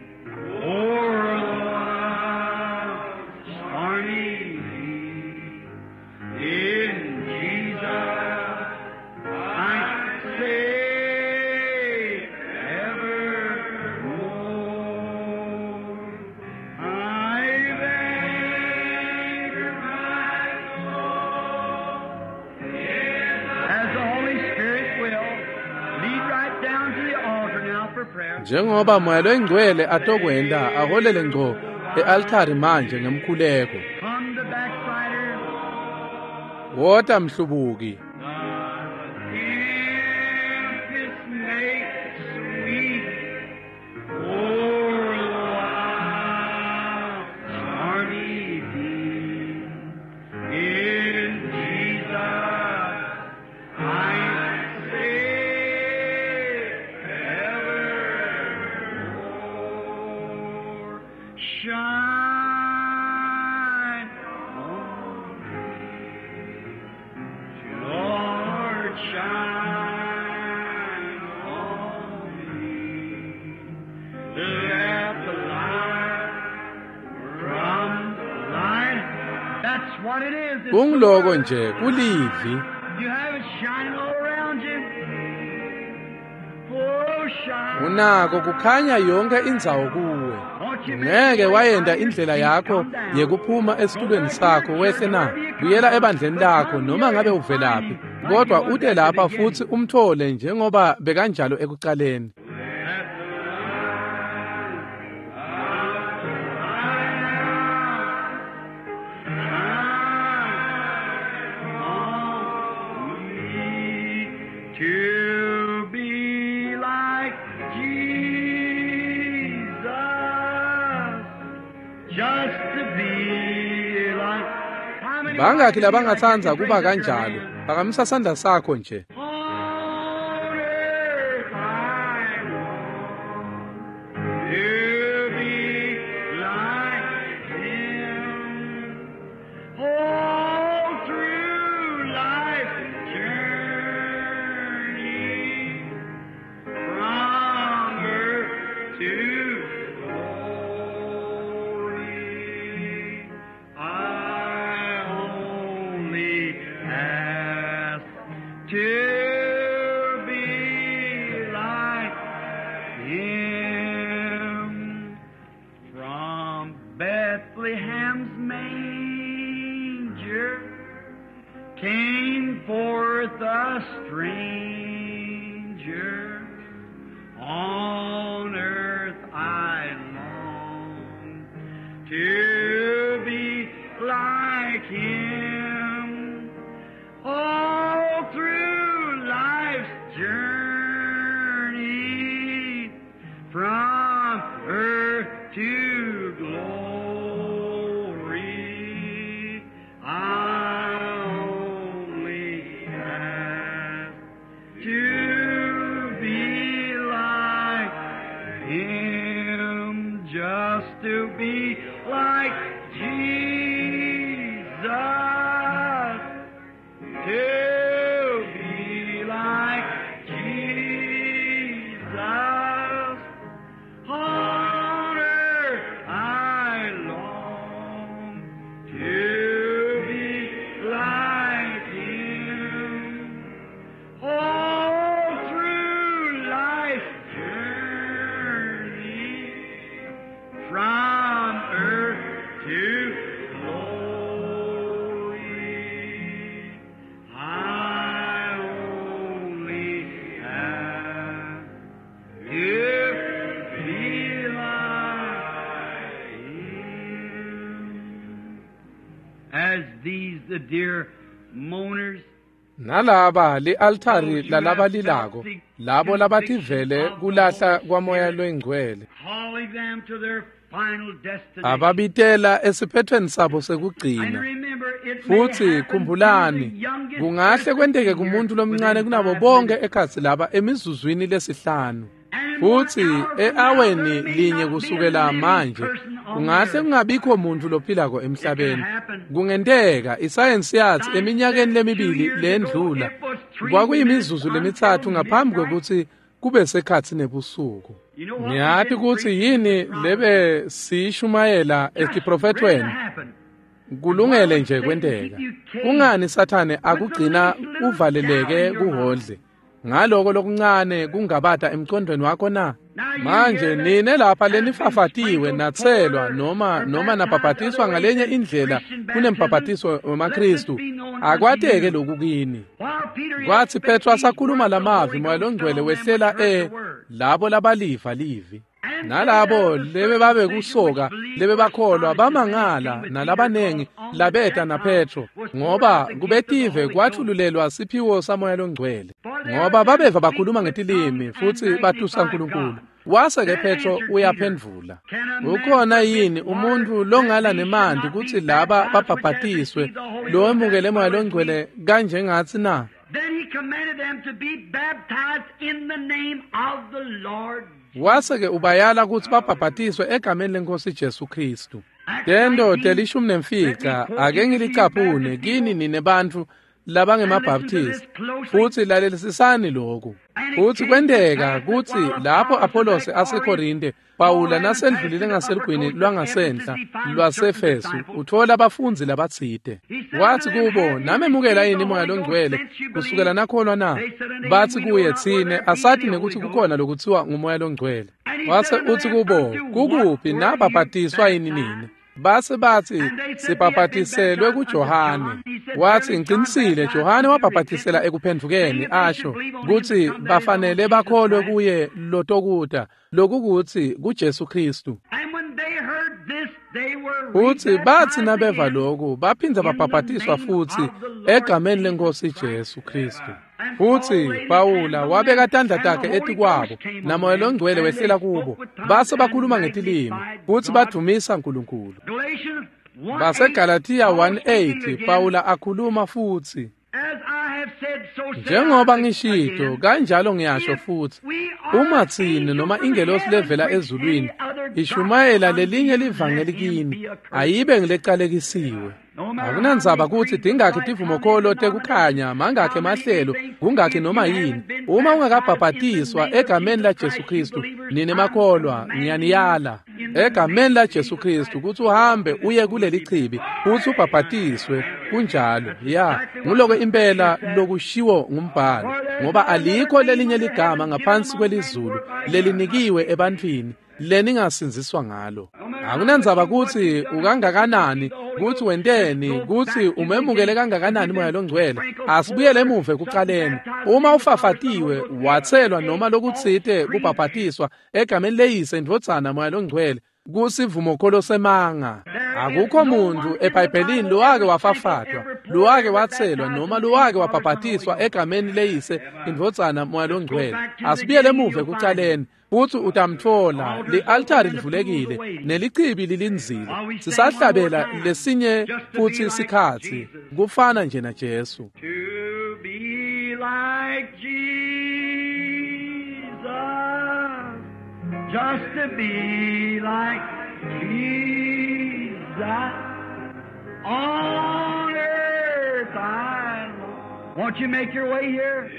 o'er the wild stormy sea. In Jesus I say evermore. I've anchored my soul as the Holy Spirit will lead right down to the altar now for prayer. Njengoba Moya loyingcwele atokwenta aholele ngco e-altari manje ngemkhuleko. Come the backslider. Wota mhlubuki. The tempest may sweep o'er the wild stormy deep. In Jesus I say evermore. Shine on me. Lord, shine on me. Let the light from the light. That's what it is. It's the Kungiloko Word. nje kulivi. You have it shining all around you. Oh, shine. Unako kukhanya yonke indzawo kuwe. Ngeke wayenda indlela yakho yekuphuma esitulweni sakho wehle na buyela ebandleni lakho noma ngabe uvelaphi, kodwa ute lapha futsi umthole njengoba bekanjalo ekucaleni. To be like Jesus, just to be like. How many Bangakhi labangatsandza kuba kanjalo? Phakamisa sandla sakho nje. On earth I want to be like Him. All through life's journey, from earth to glory, I only ask to Came forth a stranger, on earth I long to be like him. All through life's journey, from earth to glory, I only ask to be like him, just to be like Jesus, to be like Jesus. On earth I long to be like him. All through life's journey, from earth to glory, I only ask to be like him. As these the dear mourners Nalaba li-altari lalabalilako, labo labativele kulahla kwamoya loyingcwele, calling them to their final destination. Ababitela esiphethweni sabo And sekugcina. remember, it may Futhi happen to khumbulani, the youngest kungahle person kwenteke here kumuntu lomncane within kunabo 5 bonke minutes. ekhatsi laba emizuzwini lesihlanu. And in Futhi 1 hour from now, e-aweni there may linye not be a kusukela living manje, person on the kungahle earth. kungabikho muntu lophilako emhlabeni. Kungenteka isayensi yathi eminyakeni lemibili lendlula kwakuyimizuzu lemithathu ngaphambi kwekutsi kube sekhatsi nebusuku. You know what Niyati we've been kutsi preaching yini from? lebe siyishumayela Just ready to etiprofethweni happen. kulungele nje kwenteka. Kungani Sathane akugcina uvaleleke kuhodle ngaloko lokuncane kungabata emcondweni wakho na? Manje nine lapha lenifafatiwe natselwa noma nabhabhatiswa ngalenye indlela kunembhabhatiso wemaKristu, akwateke lokhu kini. While Peter yet Kwathi spake Petro these asakhuluma words, the lamavi, Holy Moya Ghost loNgcwele fell on them which wehlela heard the word. labo labaliva livi. And Nalabo they that lebe of the babe circumcision kusoka which believed lebe were bakholwa astonished, and many bamangala came with Peter, nalabanengi called on the labeta na Gentiles Petro, was poured ngoba out the gift of the kubetive Holy Ghost. kwathululelwa siphiwo samoya longcwele. For they Ngoba heard them babeva speak bakhuluma with ngetilimi tongues and futhi batusa magnified uNkulunkulu. God. Wase ke Then Petro answered Peter, uyaphendvula, Can a man ukhona forbid yini water umuntu that longala these should nemanti not be kutsi laba baptized which have babhabhatiswe received the Holy Ghost as lowemukele moya well as we? longcwele kanjengatsi na? Then he commanded them to be baptized in the name of the Lord. Wase ke ubayala kutsi babhabhatiswe egameni lenkosi Jesu Kristu. Acts Tento 19, let me telishumi nemfica quote ake you to you ngilicaphune Baptist kini people nine bantfu and listen to labangemabhaptisti, this closely. futhi lalelisisani lokhu. And it Futhi came to kwenteka pass that kutsi while lapho Apollos was Apollos at Corinth, aseKorinte, Paul Pawula having passed nasendlulile through the upper ngaselugwini coast of Ephesus, lwangasenhla he found certain lwaseEfesu, disciples. uthola abafundzi labatsite. He said unto Wathi them, kubo, Have you namemukela received yini the moya Holy Ghost longcwele since you kusukela believed? nakholwa na? They said unto him, Bathi We know kuye, not whether tsine there be asati any Holy nekutsi Ghost. kukhona lokutsiwa ngumoya longcwele. And he said Wase unto utsi them, kubo, Unto what kukuphi were you nabhabhatiswa yini nine? baptized? Base bathi And they said, We have been sibhabhatiselwe baptized unto kuJohane. John. He said, Wathi Verily John ngicinisile, baptized Johane unto wabhabhatisela repentance, saying ekuphendvukeni, that they should asho believe on him to kutsi come that is on bafanele Jesus bakholwe Christ. kuye lotokuta, lokukutsi kuJesu Kristu. And when they heard this, they were Futhi bathi rebaptized nabeva again lokhu baphindza in the babhabhatiswa name futhi of the Lord egameni Jesus lenkosi Christ. Jesu Kristu. And Paul Futhi laid his hands Pawula on wabeka them, tandla and the takhe Holy etikwabo, Ghost came on namoya them, longcwele and they wehlela spoke kubo, with tongues base and bakhuluma ngetilimi, magnified futhi God. badumisa uNkulunkulu. Galatians 1:8, BaseGalatiya Paul speaking 1:8 again, Pawula akhuluma futhi, as I have said, so say njengoba I ngishito again. kanjalo ngiyasho If futhi, we are uma an tsine angel noma from ingelosi heaven levela preach any ezulwini other gospel ishumayela unto lelinye you, livangeli let him kini, be accursed. ayibe ngilecalekisiwe. No matter how Akunandzaba many kutsi creeds of tingakhi life, how many tivumokholo denominations, tekukhanya, mangakhi how many emahlelo, anything, kungakhi if noma you yini, haven't been uma baptized in the ungakabhabhatiswa name of egameni Jesus laJesu Christ, you Kristu, believers, nine I'm makholwa commanding you ngiyaniyala in the egameni name of laJesu Jesus Kristu Christ kutsi to walk uhambe through this uye pool and kuleli be chibi baptized. futsi ubhabhatiswe. Kunjalo That's ya, exactly what nguloko the impela scripture says. lokushiwo ngumbhalo, For there is ngoba no other alikho name lelinye under ligama heaven given ngaphansi among men kwelizulu whereby we must lelinikiwe be saved. ebantwini leningasindziswa ngalo. No matter Akunandzaba kutsi ukangakanani, kutsi wenteni, kutsi umemukele kangakanani Moya Longcwele. Asibuyele emuva ekucaleni. Uma ufafatiwe, watselwa noma lokutsite kubhabhatiswa egameni leYise, Indvodzana, Moya Longcwele, kusivumokholo semanga. Akukho muntu eBhayibhelini lowake wafafatwa, lowake watselwa noma lowake wabhabhatiswa egameni leYise, Indvodzana, Moya Longcwele. Asibuyele emuva ekucaleni. Futsi utamtfola. Li-altari livulekile nelichibi lilindzile. Sisahlabela lesinye futsi sikhatsi, kufana nje naJesu. To be like Jesus, just to be like Jesus, on earth I long. Won't you make your way here?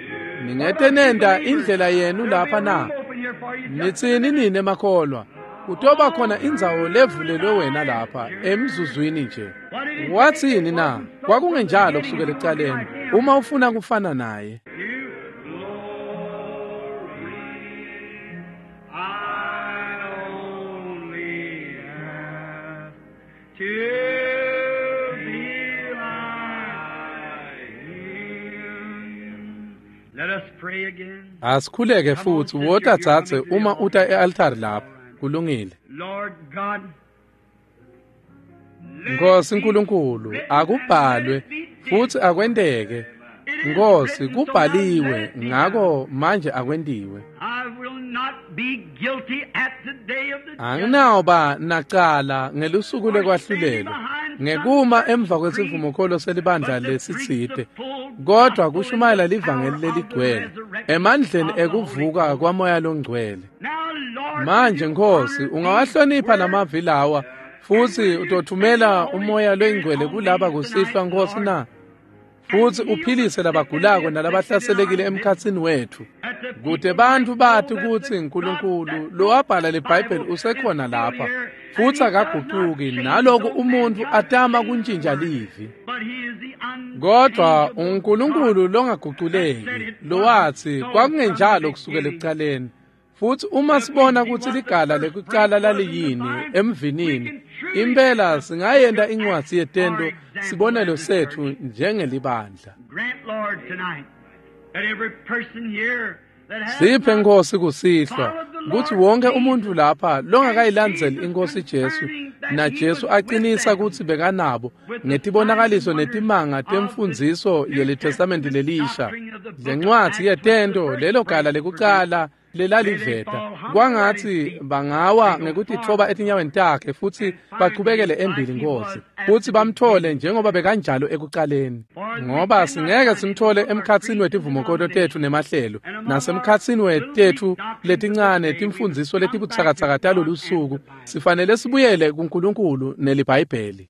Ningete nenda indlela yenu lapha na? Nitsini nine makholwa? Kutoba khona indzawo levulelwe wena lapha emzuzwini nje. Wathini na? Kwakungenjalo kusukela ekucaleni. Uma ufuna kufana naye. You glory, I only ask to be like him. Let us pray again. Asikhuleke futhi. Wota dzadze, uma uta e-altari lapha. Kulungile. Lord God, Nkosi Nkulunkulu, akubhalwe futhi akwenteke. Nkosi, kubhaliwe, ngako manje akwentiwe. I will not be guilty at the day of the judgment. Anginawuba nacala ngelusuku lekwahlulelwa, ngekuma emva kwesivumokholo selibandla lesitsite, kodwa kushumayela livangeli leligcwele emandleni ekuvuka kwaMoya Longcwele. Now, Lord, Manje Nkosi, ungawahlonipha lamavi lawa futhi utothumela uMoya Longcwele kulaba kusihlwa, Nkosi na? Futhi uphilise labagulako nalabahlaselekile emkhatsini wethu, kute bantfu bati kutsi Nkulunkulu lowabhala leBhayibheli usekhona lapha futhi akagucuki, naloku umuntfu atama kuntjintja livi. But he is the Kodwa uNkulunkulu longaguculeki, lowathi kwakungenjalo kusukela ekucaleni. Futhi uma sibona kutsi ligala lekucala laliyini emvinini, impela singayenta incwadzi yetento sibonelo setfu njengelibandla. Grant, Lord, tonight that every person here that has Siphe, not Nkosi, kusihlwa kutsi wonke umuntfu lapha longakayilandzeli iNkosi Jesu, naJesu aqinisa kutsi bekanabo ngetibonakaliso netimanga temfundziso yeliTestamenti lelisha, lencwadzi yetento, lelo gala lekucala lelaliveta, kwangatsi bangawa ngekutitfoba etinyaweni takhe futhi bachubekele embili, Nkosi, futhi bamthole njengoba bekanjalo ekucaleni, ngoba singeke simthole emkhatsini wetivumokolo tetfu nemahlelo nasemkhatsini wetetfu letincane timfundziso letibutsakatsaka talolu suku. Sifanele sibuyele kuNkulunkulu neliBhayibheli.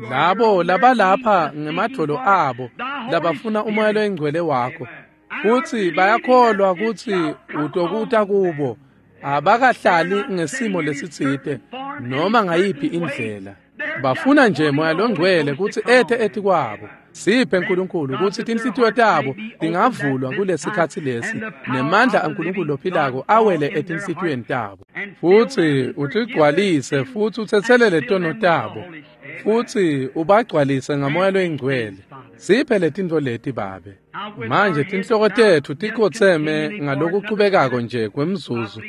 Labo labalapha ngemadvolo abo, labafuna uMoya Loyingcwele wakho futhi bayakholwa kutsi utokuta kubo, abakahlali ngesimo lesitsite noma ngayiphi indlela, bafuna nje Moya Longcwele kutsi ete etikwabo, siphe, Nkulunkulu, kutsi tinhlitiyo tabo tingavulwa kulesikhatsi lesi, nemandla aNkulunkulu lophilako awele etinhlitiyweni tabo, futhi utigcwalise futhi utsetselele tono tabo futhi ubagcwalise ngaMoya Loyingcwele. Siphe letintfo leti, Babe. Manje tinhloko tetfu tikhotseme ngalokuchubekako nje kwemzuzu,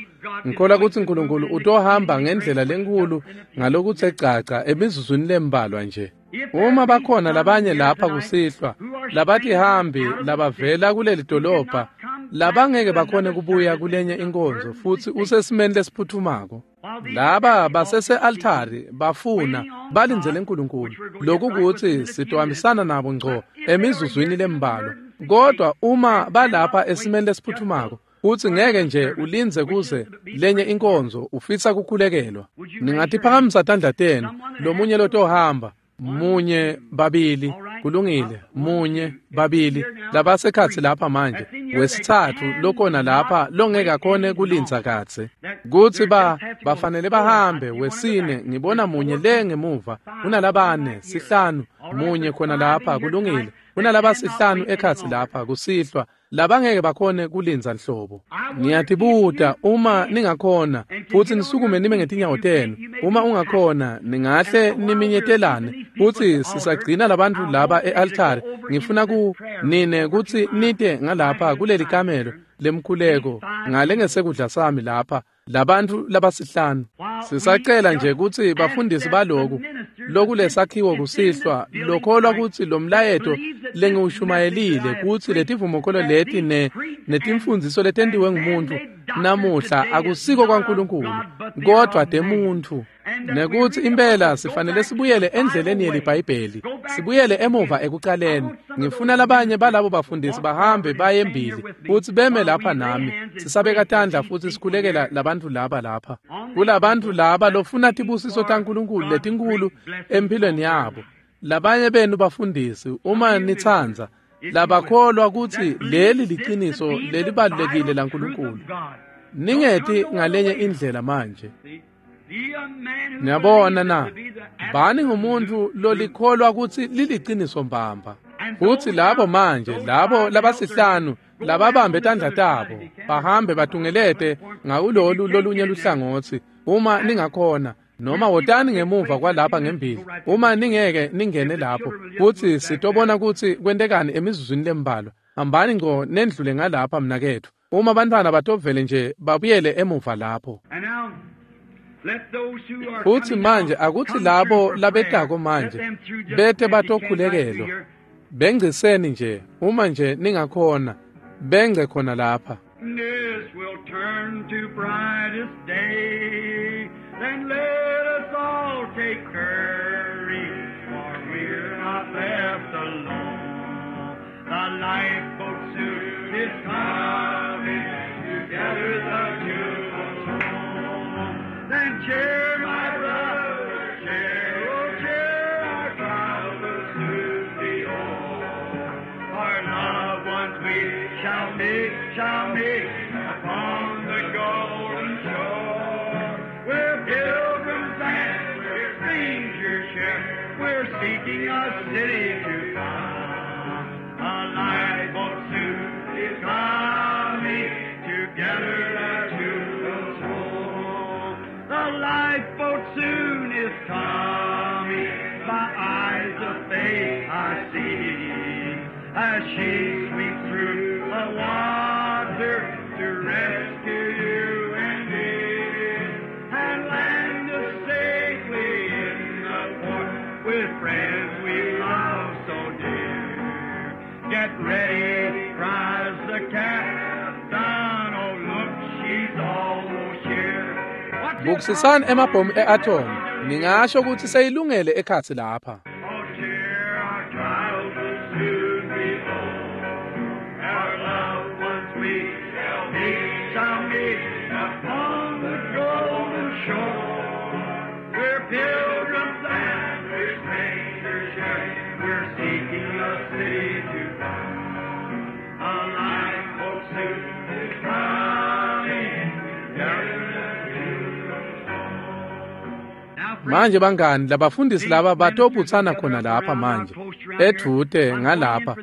ngikholwa kutsi Nkulunkulu utohamba ngendlela lenkhulu ngalokutse gcagca emizuzwini lembalwa nje. Uma bakhona labanye lapha kusihlwa labatihambi labavela kuleli dolobha, labangeke bakhone kubuya kulenye inkonzo, futhi usesimeni lesiphuthumako, laba basese-altari bafuna balindzele Nkulunkulu, lokhu kutsi sitohambisana nabo ngco emizuzwini lembalwa, kodwa uma balapha esimeni lesiphuthumako futsi ngeke nje ulindze kuze lenye inkonzo, ufisa kukhulekelwa, ningatiphakamisa tandla tenu. Lomunye lotohamba? Munye, babili, kulungile. Munye, babili, labasekhatsi lapha manje. Wesitsatfu lokhona lapha longeke akhone kulindza kadze, kutsi ba bafanele bahambe? Wesine, ngibona munye le ngemuva. Kunalabane, sihlanu, munye khona lapha. Kulungile. Kunalabasihlanu ekhatsi lapha kusihlwa labangeke bakhone kulindza nhlobo. Ngiyatibuta uma ningakhona futsi nisukume nime ngetinyawo tenu. Uma ungakhona ningahle niminyetelane futsi sisagcina labantfu laba e-altare. Ngifuna ku nine kutsi nite ngalapha kuleli kamelo lemkhuleko ngale ngesekudla sami lapha labantfu labasihlanu. Sisacela nje kutsi bafundisi baloku lokulesakhiwo kusihlwa lokholwa kutsi lomlayeto lengiwushumayelile kutsi letivumokholo leti netimfundziso letentiwe ngumuntu namuhla akusiko kwaNkulunkulu kodwa temuntfu, nekutsi impela sifanele sibuyele endleleni yeliBhayibheli, sibuyele emuva ekucaleni. Ngifuna labanye balabo bafundisi bahambe baye embili futsi beme lapha nami sisabeka tandla futsi sikhulekela labantfu laba lapha. Kulabantfu laba lofuna tibusiso taNkulunkulu letinkulu empilweni yabo. Labanye benu bafundisi uma nitsandza labakholwa kutsi leli liciniso lelibalulekile laNkulunkulu, ningeti ngalenye indlela manje. Niyabona na, bani ngumuntu lolikholwa kutsi liliciniso mbamba. Futsi labo manje, labo labasihlanu lababambe tandla tabo bahambe batungelete ngakulolu lolunye luhlangotsi uma ningakhona, noma wotani ngemuva kwalapha ngembili uma ningeke ningene lapho, futsi sitobona kutsi kwentekani emizuzwini lembalwa. Hambani ngco nendlule ngalapha mnaketfu, uma bantfwana batovele nje babuyele emuva lapho. Futsi manje akutsi labo labetako manje bete batokhulekelwa, bengciseni nje uma nje ningakhona, bengce khona lapha. This will turn to brightest day. Then let us all take courage, for we're not left alone. The lifeboat soon is coming to gather the jewels home. Then cheer, my brother, cheer, oh cheer, our trials will soon be o'er. Our loved ones we shall meet upon the golden shore. We're pilgrims and we're strangers here. We're seeking a city to come. A lifeboat soon is coming to gather the jewels home. The lifeboat soon is coming. My eyes of faith I see as she sweeps through the water to rescue you and me, and land us safely in the port with friends we love so dear. Get ready, cries the captain. Oh, look, she's almost here. Bukisisani emabhomu e-atom, ningasho kutsi seyilungele ekhatsi lapha. Oh, dear, our trials will soon be o'er. Our loved ones we shall meet upon the golden shore. We're pilgrims and we're strangers here. We're seeking a city to find. A lifeboat soon is coming. Gather the jewels home. Now, Manje bangani, labafundisi laba batobutsana khona lapha manje edvute ngalapha.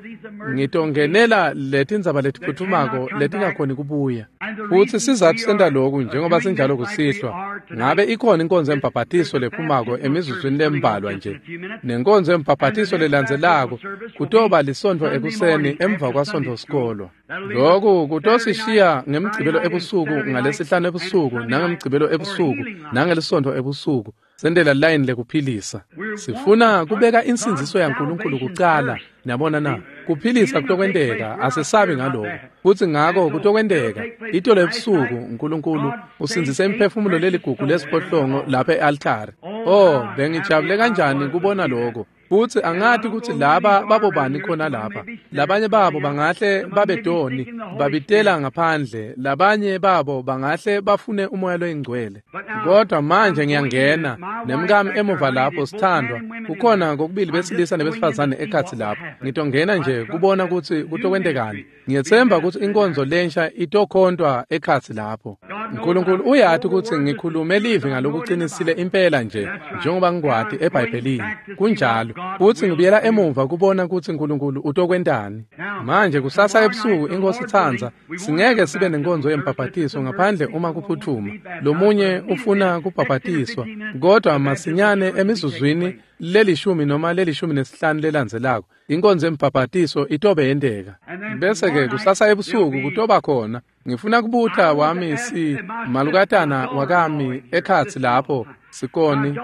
Ngitongenela letindzaba letiphuthumako letingakhoni kubuya. Futsi sizatfu senta loku njengoba sinjalo kusihlwa, ngabe ikhona inkonzo yembhabhatiso lephumako emizuzwini lembalwa nje, nenkonzo yembhabhatiso lelandzelako kutoba lisontfo ekuseni emva kwasontfo sikolwa. Loku kutosishiya ngemgcibelo ebusuku, ngalesihlanu ebusuku, nangemgcibelo ebusuku, nangelisontfo ebusuku. Sendela line lekuphilisa. Sifuna kubeka insindziso yaNkulunkulu kucala. Niyabona na, kuphilisa kutokwenteka, asesabi ngaloko. Futsi ngako kutokwenteka itolo ebusuku uNkulunkulu usindzise imiphefumulo leligugu lesiphohlongo lapha e-altare. Oh, bengijabule kanjani kubona lokho. Futsi angati kutsi laba babobani khona lapha. Labanye babo bangahle babedoni, babitela ngaphandle. Labanye babo bangahle bafune umoya loyingcwele. Kodwa manje ngiyangena nemkami emuva lapho sithandwa. Kukhona kokubili besilisa nebesifazane ekhatsi lapho. Ngitongena nje kubona kutsi kutokwentekani. Ngiyetsemba kutsi inkonzo lensha itokhontwa ekhatsi lapho. Nkulunkulu uyati kutsi ngikhulume livi ngalokuqinisile impela nje njengoba ngikwati eBhayibhelini. Kunjalo. Futsi ngibuyela emuva kubona kutsi Nkulunkulu utokwentani. Manje kusasa ebusuku iNkosi itsandza, singeke sibe nenkonzo yembhabhatiso ngaphandle uma kuphutfuma. Lomunye ufuna kubhabhatiswa, kodwa masinyane emizuzwini lelishumi noma 15 lelandzelako inkonzo yembhabhatiso itobe yenteka. Bese-ke kusasa ebusuku kutoba khona. Ngifuna kubuta wami si malukatana wakami ekhatsi lapho sikoni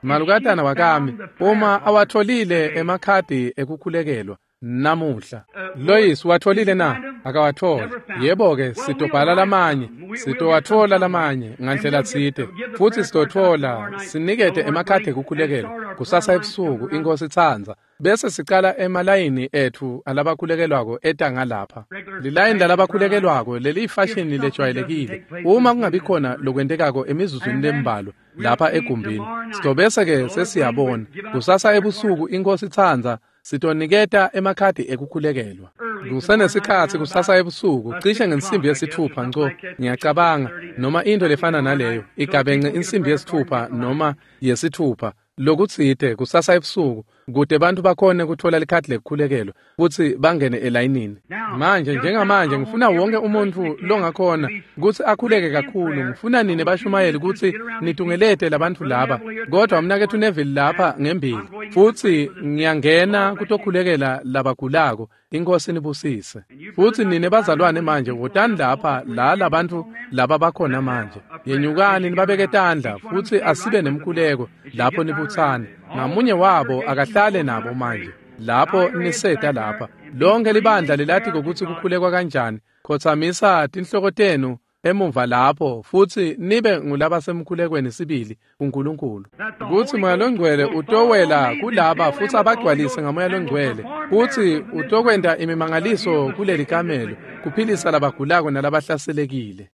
malukatana wakami uma awatholile emakhadi ekukhulekelwa namuhla. Lois watholile na? Akawathola. Yebo-ke, sitobhala lamanye, sitowathola lamanye ngandlela tsite, futsi sitothola sinikete emakhadi ekukhulekelwa kusasa ebusuku iNkosi itsandza. Bese sicala emalayini etfu alabakhulekelwako eta ngalapha. Lilayini lalabakhulekelwako leliyifashini lejwayelekile. Uma kungabi khona lokwentekako emizuzwini lembalwa lapha egumbini, sitobese-ke sesiyabona kusasa ebusuku iNkosi itsandza sitoniketa emakhadi ekukhulekelwa. Kusenesikhatsi kusasa ebusuku cishe ngensimbi yesithupha nco, ngiyacabanga, noma into lefana naleyo, igabence insimbi yesithupha noma yesithupha lokutsite kusasa ebusuku, kute bantfu bakhone kutfola likhadi lekukhulekelwa futsi bangene elayinini. Manje njengamanje ngifuna wonke umuntfu longakhona kutsi akhuleke kakhulu. Ngifuna nine bashumayeli kutsi nitungelete labantfu laba, kodwa mnaketfu Neville lapha ngembili, futsi ngiyangena kutokhulekela labagulako. iNkosi nibusise. Futsi nine bazalwane manje wotani lapha la labantfu laba bakhona manje. Yenyukani nibabeke tandla futsi asibe nemkhuleko lapho nibutsana. Ngamunye wabo akahlale nabo manje. Lapho niseta lapha. Lonke libandla lilatiko kutsi kukhulekwa kanjani. Khotsamisa tinhloko tenu emuva lapho futsi nibe ngulabasemkhulekweni sibili kuNkulunkulu. Kutsi Moya Longcwele utowela kulaba futsi abagcwalise ngaMoya Longcwele, futsi utokwenta imimangaliso kuleli kamelo kuphilisa labagulako nalabahlaselekile.